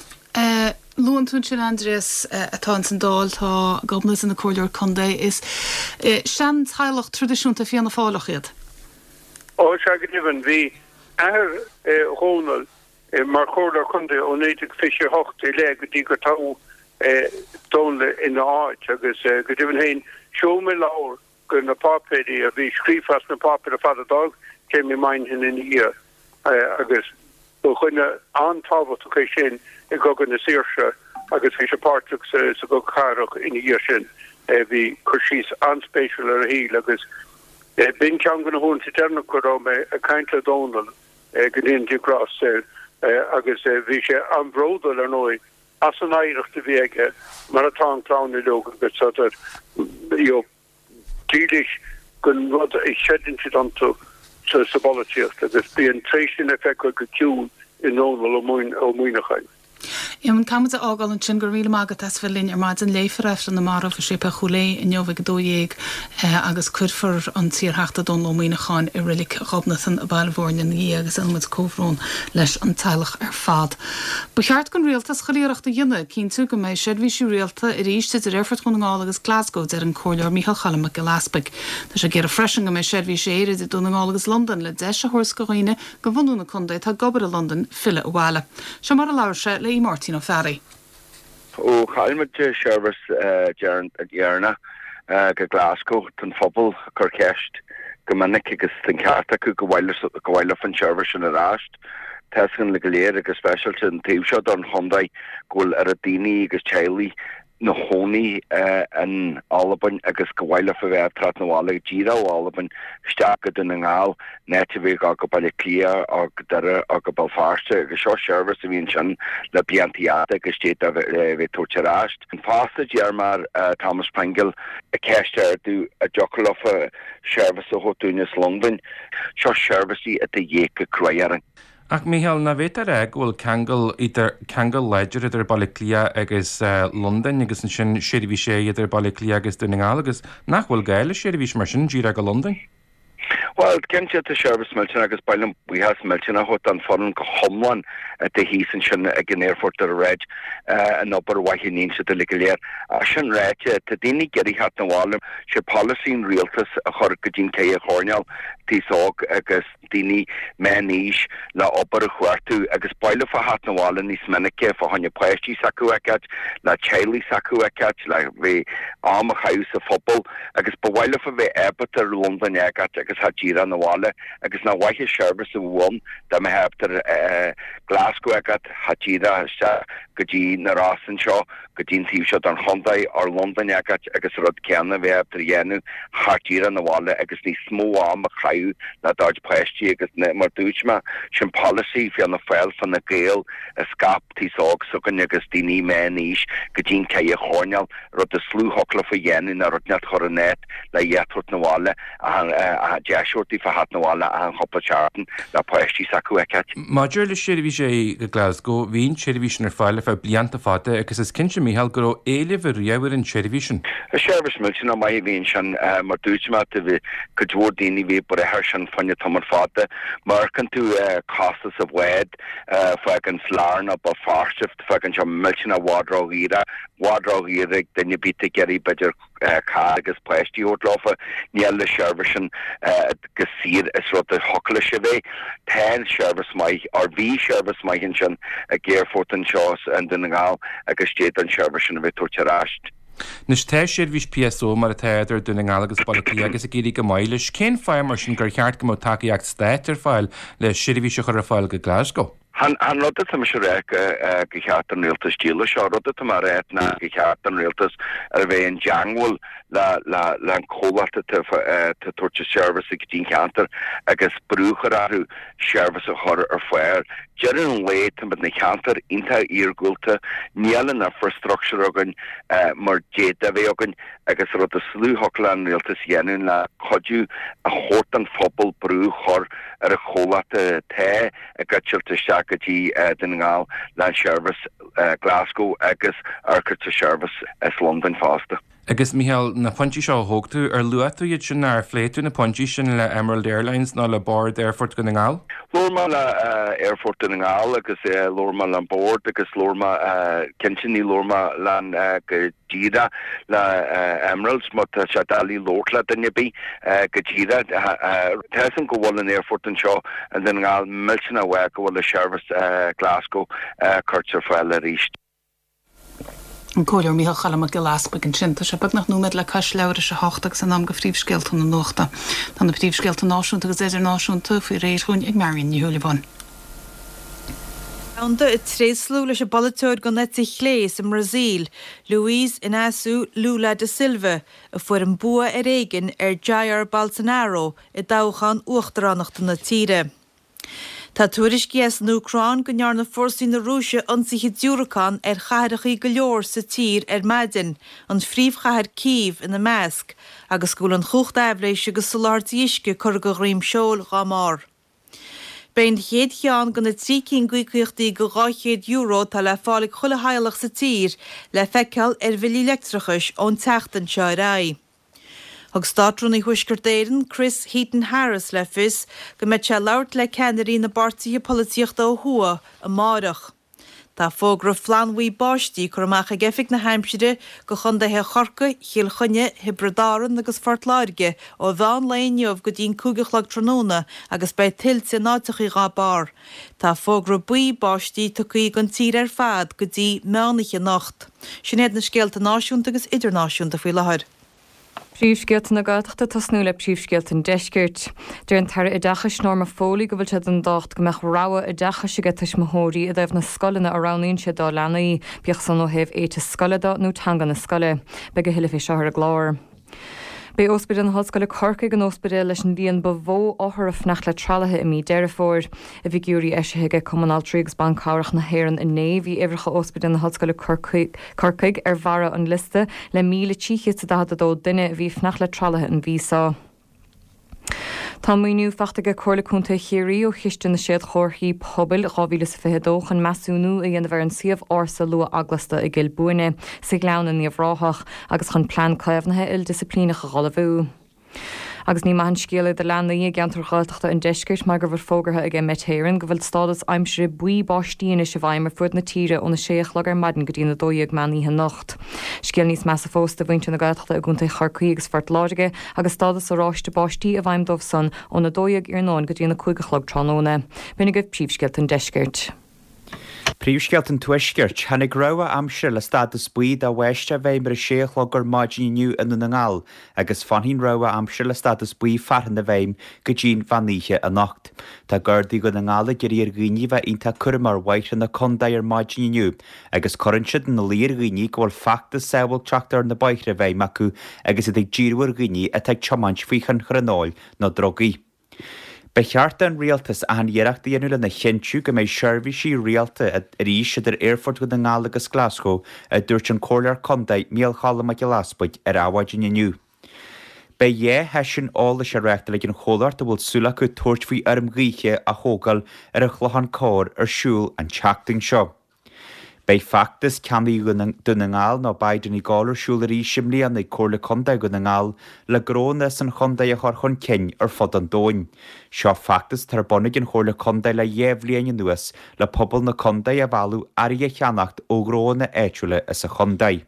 Luann tú ansin Aindrias atá ins an Dáil, tá Gobnait ina comhairleoir contae. Is sean-teaghlach traidisiúnta Fianna Fáileach iad.
Ó, sea, go deimhin. Bhí athair Dhónaill mar chomhairleoir contae ó 1928 i leith go dtí gur toghadh Dónall ina áit agus go deimhin féin sheol mé leabhar de na páipéirí a bhí scríofa as na páipéir ar fad a d'fhág Jamie Moynihan ina dhiaidh agus ba dhuine an-tábhachtach é sin i gCogadh na Saoirse agus bhí sé páirteach sa gCogadh Cathartha ina dhiaidh sin. Bhí cur síos an-spéisiúil ar a shaol agus b'in ceann de na huaireanta deireanacha go raibh mé ag caint le Dónall. go ndéana Dia grásta air, agus bhí sé an-bhródúil, ar ndóigh, as an oidhreacht a bhí aige, mar atá an chlann uilig, agus tádar, you know, dílis don rud a chreideann siad iontu sa bpolaitíocht, agus bhí an tréith sin le feiceáil go ciúin i nDónall Ó Muíneacháin.
Éamonn, caithfidh muid a fhágáil ansin. Go raibh míle maith agat as bheith linn ar maidin. Léifear Aifreann na Marbh i Séipéal Chúil Aodha inniu ag 12:00 agus cuirfear an t-iarTheachta Dónall Ó Muíneacháin i Reilig Ghobnatan i Baile Mhúirne ina dhiaidh agus déanann muid comhbhrón leis an teaghlach ar fad. Ba cheart don Rialtas chuile iarracht a dhéanamh cinntiú go mbeidh seirbhísí rialta arís idir Aerfort Dhún na nGall agus Glasgow, deir an Comhairleoir Micheál Choilm Mac Giolla Easpaig. Tá sé ag iarraidh freisin go mbeidh seirbhís aeir idir Dún na nGall agus Londain le deis a thabhairt do dhaoine de bhunú na contae atá ag obair i Londain filleadh abhaile. Seo mar a labhair sé le Máirtín Ó Fearraigh.
Ó chaill muid seirbhís dheireanach go Glasgow, tá an phobal ag cur ceist go minic agus tá an ceart acu go mhaith leofa an seirbhís sin ar ais. Tá a fhios againn go léir agus speisialta an taobh seo don chontae go bhfuil oiread daoine agus teaghlaigh 'na chónaí in Albain agus go mhaith leofa bheith ag teacht 'na bhaile díreach ó Albain isteach go Dún na nGall in áit a bheith ag dul go Baile Átha Cliath ó go Doire ó go Béal Feirste agus seo seirbhís a bhí ansin le blianta fhada agus d'fhéadfadh a bheith tabhairt ar ais. Fosta d'iarr mé ar Thomas Pringle ceist a ardú an dtiocfadh leofa seirbhís a thabhairt dúinn as Londain. Seo seirbhísí atá de dhíth go cruaidh orainn.
Ach Mícheál, nach bhféadfá a rá go bhfuil ceangal idir, ceangal láidir idir Baile Átha Cliath agus Londain agus ansin seirbhís aeir idir Baile Átha Cliath agus Dún na nGall agus nach bhfuil gá le seirbhís mar sin díreach go Londain?
Bhuel, cinnte tá seirbhís millteanach agus ba mhaith liom buíochas millteanach a thabhairt don foireann go hiomlán atá thíos ansin ag an aerfort ar a an obair mhaith a níonn siad uilig go léir. Ach sin ráite, tá daoine ag iarraidh theacht 'na bhaile. Sé polasaí an rialtais a chur go dtí'n ceithre choirnéal, an t-aos óg agus. daoine meán-aois le obair a chuartú agus ba mhaith leofa theacht 'na bhaile níos minice fá choinne páistí s'acu a fheiceáilt, le teaghlaigh s'acu a fheiceáilt, le bheith am a chaitheamh sa phobal agus ba mhaith leofa bheith ábalta ar Londain a fhágáilt agus theacht díreach 'na bhaile agus nach mhaith an seirbhís a bheadh ann dá mbeifeá ábalta Glasgow a fhágáilt, theacht díreach isteach. go dtí na Rosa anseo, go dtí an taobh seo den chontae, or Londain a fheiceáilt agus an rud céanna a bheith ábalta a dhéanamh thart díreach 'na bhaile agus níos mó am a chaitheamh le do chuid páistí agus mar dúirt mé, sin polasaí Fianna Fáil, Fine Gael a scaip taos óg s'againn agus daoine meán aois go dtí'n chathair choirnéal, rud is lú thiocfadh leofa a dhéanamh ná rud inteacht a chur in áit le iad a thabhairt 'na bhaile, deis a thabhairt daofa theacht 'na bhaile achan chúpla seachtain le páistí s'acu a fheiceáilt.
Maidir le seirbhís go Glasgow, bhí an tseirbhís sin ar fáil ar feadh blianta fada agus is cinnte, Mícheál, go raibh éileamh ariamh ar an tseirbhís sin.
Is seirbhís millteanach maith a bhí ansin. Mar dúirt mé, bhí cuid mhór daoine a bhí ag brath air sin fá choinne tamall fada. Má amharcann tú costas an bháid, fágaint Larne, Béal Feirste, fágann sé millteanach i bhfad ró-dhaor, i bhfad ró-dhaor ag duine ar bith ag iarraidh b'fhéidir carr agus páistí a thabhairt leofa. Níl an seirbhís sin chomh saor is rud a thiocfadh leis a bheith. Tá an seirbhís maith, or bhí seirbhís maith ansin ag aerfort anseo i nDún na nGall agus d'fhéadfadh an seirbhís sin a bheith tabhairt ar ais.
Anois tá seirbhís PSO mar atá idir Dún na nGall agus Baile Átha Cliath agus ag éirí go maith leis. Cén fáth mar sin gur cheart go mbeadh tacaíocht stáit ar fáil le seirbhís a chur ar fáil go Glasgow?
Chan rud atá mise a rá go cheart don rialtas díol leis seo, rud atá mé a rá ná go cheart don rialtas a bheith i dteangmháil le an comhlacht atá ag tabhairt an seirbhís go dtí an cheantar agus brú a chur orthu seirbhís a chur ar fáil. Deireadh an lae tá muid ina cheantar iontach iargúlta, níl an infrastructure againn mar d'fhéadfadh a bheith againn agus rud is lú thiocfadh le an rialtas a dhéanamh ná cuidiú a thabhairt don phobal brú a chur ar an chomhlacht atá ag eitilt isteach go dtí Dún na nGall le an seirbhís Glasgow agus amharc ar seirbhís as Londain fosta.
Agus Micheál, na pointí seo a thóg tú, ar luaigh tú iad sin nó ar phléigh tú na pointí sin le Emerald Airlines nó le Bord Aerfort Dhún na nGall?
Labhair mé le Aerfort Dhún na nGall agus labhair mé le an Bord agus labhair mé, cinnte ní labhair mé le an go díreach le Emeralds mar tá sé doiligh labhairt le duine ar bith go díreach. Tá fhios agam go bhfuil an aerfort anseo i nDún na nGall millteanach mhaith go bhfuil an seirbhís Glasgow curtha ar fáil arís.
An Comhairleoir Micheál Choilm Mac Giolla Easpaig ansin. Tá sé beagnach nóiméad le cois leathuair théis a hocht agus in am do phríomhscéalta na nuachta. Tá na príomhscéalta náisiúnta agus idirnáisiúnta faoi réir dhúinn ag Marion Ní Shúilleabháin.
Domhanda ag tréaslú leis an bpolaiteoir den eite chlé sa mBrasaíl, Luiz Inácio Lula da Silva, a fuair an bua ar éigean ar Jair Bolsonaro i dtoghchán uachtaránachta na tíre. Tá tuairiscí as an Úcráin go ndearna fórsaí na Rúise ionsaithe diúracán ar chathrachaí go leor sa tír ar maidin, an phríomhchathair Cív ina measc, agus go bhfuil an chumhacht aibhléise agus soláthairtí uisce curtha de dhroim seoil dhá mbarr. Beidh an chéad cheann de na 3 cinn d'íocaíochtaí de €200 atá le fáil ag chuile theaghlach sa tír le feiceáil ar bhillí leictreachais ón tseachtain seo ar aghaidh. Thug Státrúnaí Thuaisceart Éireann, Chris Heaton-Harris le fios go mbeidh sé ag labhairt le ceannairí na bpáirtithe polaitíochta ó thuaidh amáireach. Tá fógra flannbhuí báistí curtha amach ag Oifig na hAimsire do chontaetha Chorcaí, Chill Chainnigh, Thiobraid Árann agus Phort Láirge ó mheán lae inniu go dtí'n 5 a chlog tráthnóna agus beidh tuilte in áiteachaí dhá barr. Tá fógra buí báistí tugtha don tír ar fad go dtí meánoíche anocht. Sin iad na scéalta náisiúnta agus idirnáisiúnta faoi láthair.
Príomhscéalta na Gaeltachta ag tosnú le príomhscéalta an Deiscirt. Deir an tAire Oideachais Norma Foley go bhfuil sé den dtábhacht go mbeadh rogha oideachais aige tuismitheoirí i dtaobh na scoileanna a roghnaíonn siad dá leanaí, bíodh san ó thaobh éiteas scoile de nó teanga na scoile. Beidh a thuilleadh fé seo ar an gclár. B'é Ospidéal na hOllscoile Corcaigh an ospidéal leis an líon ba mhó othar ag fanacht le tralaithe i mí Deireadh Fómhair. I bhfigiúirí eisithe aige Cumann Altraí agus Ban Cabhrach na hÉireann inné, bhí uimhreacha Ospidéal na hOllscoile Corcaigh ar bharra an liosta le 1,342 duine a bhí ag fanacht le tralaithe an mhí seo. Tá maoiniú faighte aige Comhairle Contae Chiarraí ó Chiste na Séadchomharthaí Pobail 2022 chun measúnú a dhéanamh ar an suíomh ársa luath-eaglasta i gCill Buaine, sa Ghleann in Uíbh Ráthach, agus chun plean caomhnaithe ildisciplíneach a dh'ullmhú. Agus ní maith an scéal é do leanaí i gceantair Ghaeltachta an deiscirt mar go bhfuil fógartha aige Met Éireann go bhfuil stádas aimsire buí báistí anois i bhfeidhm ar fuaid na tíre óna sé a chlog ar maidin go dtí'n 12 meán oíche anocht. Scéal níos measa fós do mhuintir na Gaeltachta i gContae Chorcaí agus Phort Láirge agus stádas oráiste báistí i bhfeidhm dóibh san óna 12 iarnóin go dtí'n 5 a chlog tráthnóna. B'in agaibh príomhscéalta an deiscirt.
Príomhscéalta an Tuaiscirt, Tháinig rabhadh aimsire le stádas buí do bháisteach i bhfeidhm ar a sé a chlog ar maidin inniu i nDún na nGall agus fanfaidh an rabhadh aimsire le stádas buí fearthainne i bhfeidhm go dtí'n mheán oíche anocht. Tá Gardaí Dhún na nGall ag iarraidh ar dhaoine a bheith iontach cúramach ar bhóithre na contae ar maidin inniu agus cuireann siad ina luí ar dhaoine go bhfuil feachtas sábháilteachta ar na bóithre i bhfeidhm acu agus iad ag díriú ar dhaoine atá ag tiomáint faoi thionchar an óil nó drugaí. Ba cheart don Rialtas achan iarracht a dhéanamh lena chinntiú go mbeidh seirbhísí rialta arís idir Aerfort Dhún na nGall agus Glaschú, a dúirt an Comhairleoir Contae Micheál Cholm Mac Giolla Easbuig ar Adhmhaidin inniu. Beidh 2 sheisiún eolais á reáchtáil ag an chomhlacht a bhfuil súil acu tabhairt faoi fheirm ghaoithe a thógáil ar an Chlochán Corr ar siúl an tseachtain seo. Beidh feachtas Ceannaigh Dún na nGall nó Buy Donegal ar siúl arís i mbliana ag Comhairle Contae Dhún na nGall le gnónna san chontae a chur chun cinn ar fud an domhain. Seo feachtas atá ar bun ag an Chomhairle Contae le 2 bhliain anuas le pobal na contae a mhealladh earraí a cheannacht ó ghnónna áitiúla sa chontae.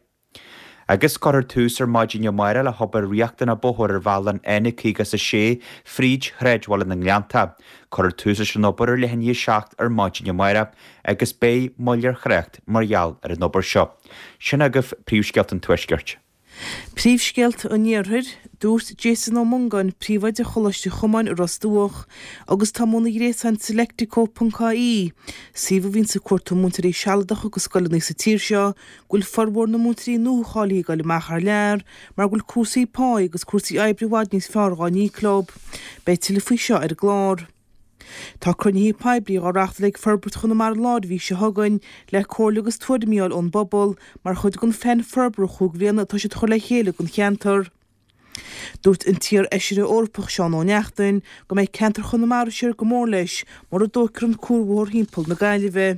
Agus cuirfear tús ar maidin amárach le hobair riachtanach bóthair ar bhealach an N56 fríd shráidbhaile na nGleannta. Cuirfear tús leis an obair ar leath i ndiaidh a 7 ar maidin amárach agus beidh moill ar thrácht mar gheall ar an obair seo. Sin agaibh príomhscéalta an Tuaiscirt.
Príomhscéalta an Iarthair, Dúirt Jason Ó Mongáin, Príomhoide Choláiste Chomáin i Ros Dumhach, agus tá ar an ghréasán Selectico ponc ie, suíomh a bhíonns ag cuartú múinteoirí sealadacha go scoileanna sa tír seo, go bhfuil formhór na múinteoirí nuacháilithe ag dul amach thar lear mar go bhfuil cúrsaí páí agus cúrsaí oibre i bhfad níos fearr dhá n-íoc leo. Beidh tuilleadh faoi seo ar an gclár. Tá cruinnithe poiblí dhá reachtáil ag Forbairt Chonamara Láir an mhí seo chugainn le comhairle agus tuairimí a fháil ón bpobal mar chuid den phlean forbartha chúig bhliana atá siad a chur le chéile don cheantar. Dúirt an t-iar-fheisire Eorpach Seán Ó Neachtain go mbeidh ceantar Chonamara siar go mór leis mura dtógfar an cuarbhóthar thimpeall na Gaillimhe.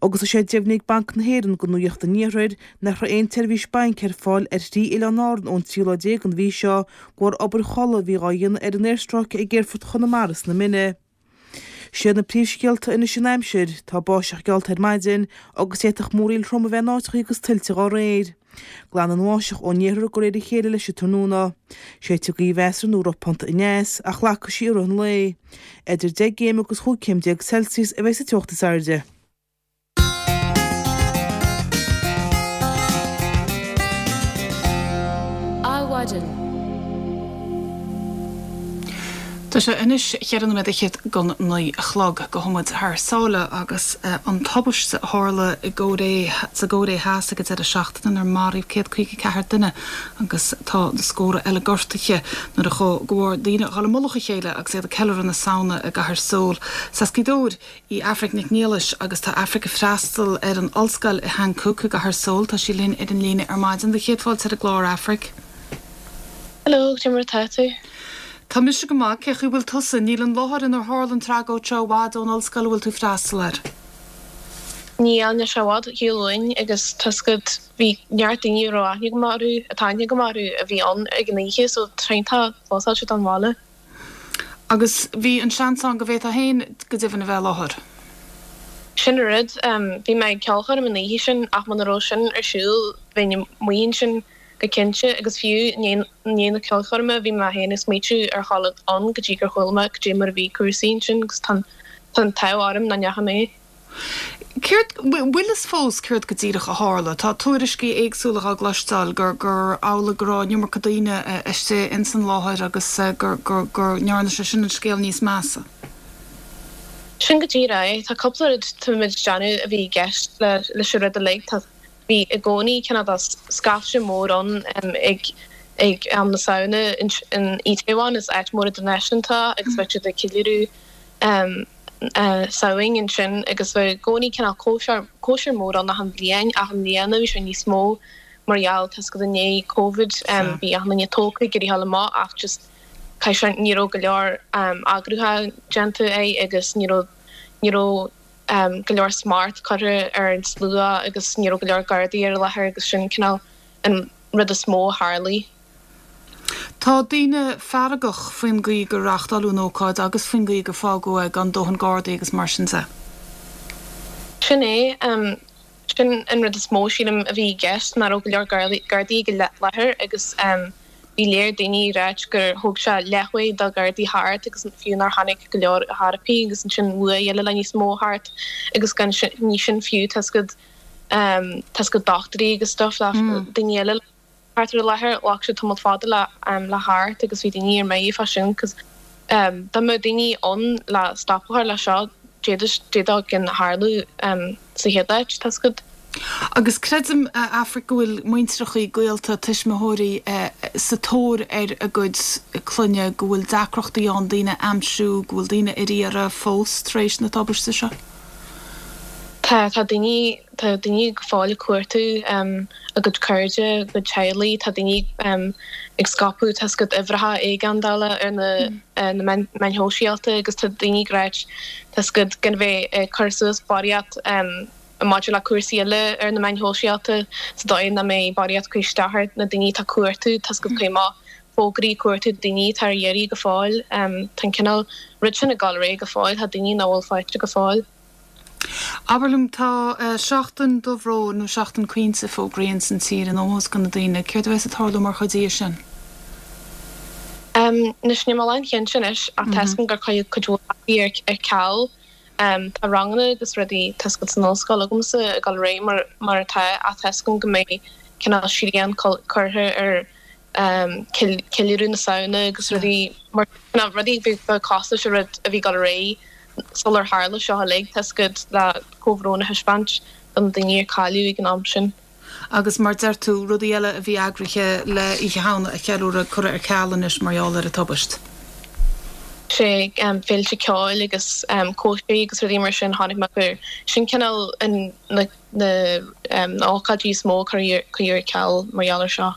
Agus tá sé deimhnithe ag Banc na hÉireann do Nuacht an Iarthair nach raibh aon tseirbhís bainc ar fáil ar thrí oileán Árann ón 13 lá den mhí seo de bharr obair chulaith a bhí dhá dhéanamh ar an aerstráice ag Aerfort Chonamara sna Mine. Siad na príomhscéalta anois an aimsir, tá báisteach geallta ar maidin agus d'fhéadfadh múraíl throm a bheith in áiteachaí agus tuilte dhá réir. Glanfaidh an bháisteach ón iarthar de réir a chéile leis an tráthnóna. Séidfidh gaoth mheasartha nó ropánta aneas, ach lagfaidh sí i rith an lae. Idir 10 gcéim agus 15 céim Celsius a bheidh sa teocht is airde.
Adhmhaidin. Tá sé anois cheithre nóiméad fhichead gon naoi a chlog. Gabhfaidh muid thar sáile agus an tubaiste a tharla i gCóiré, sa gCóiré Theas ag an deireadh seachtaine inar maraíodh 154 duine agus tá na scórtha eile gortaithe nuair a chuaigh go leor daoine a dhul i mullach a chéile agus iad ag ceiliúradh na Samhna i gcathair Seoul. Is as Gaoth Dobhair í Aifric Nic Niallais agus tá Aifric ag freastal ar an ollscoil i Hankuk i gcathair Seoul. Tá sí linn ar an líne ar maidin. Do chéad fáilte ar an gclár, Aifric.
Hello, cad é mar atá tú?
Tá mise go maith, cé chaoi bhfuil tusa? Níl an láthair inar tharla an tragóid seo i bhfad ón ollscoil a bhfuil tú ag freastal air.
Níl, níl sé i bhfad ar shiúl uainn agus tá 's agat, bhí neart daoine a raibh aithne agam orthu, atá aithne agam orthu, a bhí ann ag an oíche so tá sé iontach clósáilte don bhaile.
Agus bhí an seans ann go bhféadfá féin go deimhin a bheith i láthair.
Sin an rud. Bhí mé ag ceolchoirm an oíche sin ach muna raibh sin ar siúl bheinn amuigh ansin go cinnte agus fiú i ndiaidh na ceolchoirme bhí mé féin ag smaoitiú ar dhul ann go dtí gur chuala mé cad é mar a bhí cúrsaí ansin agus tá an t-ádh orm nach ndeachaigh mé.
Céard, bhfuil fhios fós céard go díreach a tharla? Tá tuairiscí éagsúla dhá gcloisteáil gur, gur amhlaidh go raibh an iomarca daoine istigh ins an láthair agus gur, gur, go ndearna sé sin an scéal níos measa.
Sin go díreach é. Tá cúpla rud tá muid ag déanamh a bhí i gceist le, leis an rud uilig. Tá, bhí i gcónaí cineál de scaifte mór ann ag, ag am na Samhna in, in Itaewon, is áit mór idirnáisiúnta agus bheadh siad ag ceiliúradh. Samhain ansin agus bheadh i gcónaí cineál cóisir, cóisir mór ann achan bhliain ach i mbliana bhí sé níos mó mar gheall tá 's agat i ndiaidh Covid bhí achan duine tógtha ag iarraidh a ghabháil amach ach just caithfidh sé ní raibh go leor eagrúchán déanta é agus ní raibh ní raibh go leor smacht curtha ar an slua agus ní raibh go leor gardaí ar an láthair agus sin cineál an rud is mó a tharlaigh.
Tá daoine feargach faoin gcaoi gur reáchtáladh an ócáid agus faoin gcaoi gur fágadh é gan dóthain gardaí agus mar sin de.
Sin é. Sin an rud is mó, sílim, a bhí i gceist, nach raibh go leor gardaí ag an láthair agus bhí. Bhí léir daoine ag ráit gur thóg sé leathuair do Ghardaí theacht agus fiú nár tháinig go leor ar chor ar bith agus ansin luath eile le níos mó theacht agus gan ní sin fiú tá 's agat tá 's agat dochtúirí agus stuff le daoine eile thart ar an láthair ghlac sé tamall fada le le theacht agus bhí daoine ar mire fá sin cos dá mbeadh daoine ann le stop a chur le seo d'fhéadfadh d'fhéadfadh gan tharlú sa chéad áit tá 's agat.
Agus creidim, a Aifric, go bhfuil muintreachaí, gaolta, tuismitheoirí sa tóir ar a gcuid clainne, go bhfuil deacrachtaí ann daoine a aimsiú, go bhfuil daoine ar iarraidh fós tar éis na tubaiste seo.
Tá, tá daoine, tá daoine go fóill ag cuartú a gcuid cairde, a gcuid teaghlaigh, tá daoine ag scaipeadh tá 's agat uimhreacha éigeandála ar na na meáin shóisialta agus tá daoine ag ráit tá 's agat gan bheith ag cur suas barraíocht maidir le cúrsaí eile ar na meáin shóisialta sa dóigh nach mbeidh barraíocht ag cur isteach ar na daoine atá ag cuartú, tá 's agat cuir amach fógraí ag cuartú daoine atá ar iarraidh go fóill. Tá an cineál rud sin ag dul ar aghaidh go fóill, tá daoine nach bhfuil faighte go fóill.
Abair liom, tá seachtain dobhróin nó seachtain caointe fógraithe ins an tír in ómós do na daoine, céard a bheas ag tarlú mar chuid dhe sin?
Anois níl mé lánchinnte anois ach tá 's agam gur cuireadh cuid mhór rudaí ar ceal. Tá ranganna agus rudaí tá 's agat san ollscoil agamsa ag dul ar aghaidh mar mar atá ach tá 's agam go mbeidh cineál srian curtha ar ceiliúradh na Samhna agus rudaí mar cineál rudaí a bheadh cosúil leis an rud a bhí ag dul ar aghaidh sular tharla seo uilig tá 's agat le comhbhrón a thaispeáint do na daoine a cailleadh ag an am sin.
Agus mar deir tú, rudaí eile a bhí eagraithe le Oíche Shamhna a cheiliúradh curtha ar ceal anois mar gheall ar an tubaist.
Sea, féilte ceoil agus cóisirí agus rudaí mar sin, chonaic mé gur sin cineál na na hócáidí is mó a cuireadh ar ceal mar gheall ar seo.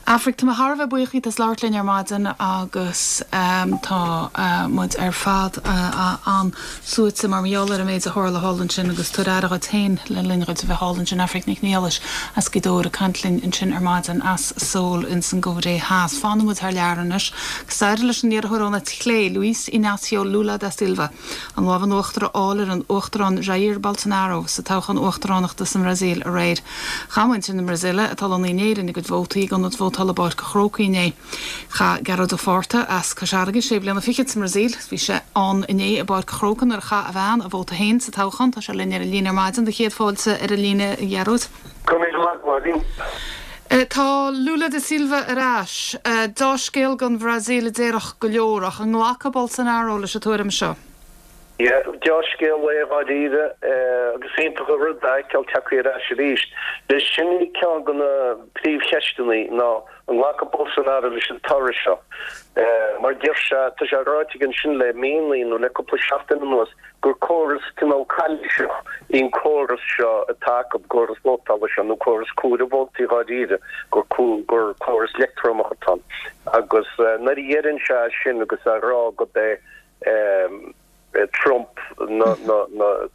Aifric, tá mé thar a bheith buíoch díot as labhairt linn ar maidin agus tá muid ar fad an-suaite mar gheall ar an méid a tharla thall ansin agus tabhair aire dhuit féin le linn dhuit a bheith thall ansin. Aifric Nic Niallais as Gaoth Dobhair ag caint linn ansin ar maidin as Seoul ins an gCóiré Theas. Fanann muid thar lear anois agus d'éirigh leis an iarrthóir ón eite chlé, Luiz Inácio Lula da Silva, an lámh in uachtar a fháil ar an Uachtarán Jair Bolsonaro sa toghchán uachtaránachta sa mBrasaíl aréir. Chaith muintir na Brasaíle, atá lonnaithe in Éirinn, a gcuid vótaí ag ionad vótála i bPáirc an Chrócaigh inné. Chaith Gearóid Ó Fátharta, as Cois Fharraige, sé bliana fichead sa mBrasaíl. Bhí sé ann inné i bPáirc an Chrócaigh nuair a chaith a bhean a vóta féin sa toghchán. Tá sé linn ar an líne ar maidin. Do chéad fáilte ar an líne, a Ghearóid.
Go raibh míle maith agat, a Mháirín.
Tá Lula da Silva ar ais. Deá-scéal don Bhrasaíl a déarfadh go leor, ach an nglacfaidh Bolsonaro leis an tuairim seo?
Yeah, deá-scéal é dháiríre, agus iontach an rud é a fheiceáil tagtha ar ais arís. Sin í ceann de na príomhcheisteanna ná an nglacfaidh Bolsonaro leis an toradh seo. Mar deir sé, tá sé ráite aige ansin le míonna nó le cúpla seachtain anuas, gur córas cineál calaoiseach í an córas seo atá acu, córas vótála seo, nó córas comhaireamh vótaí dháiríre, gur gur córas leictreonach atá ann. Agus nuair a dheireann sé sin agus á rá gurb é Trump na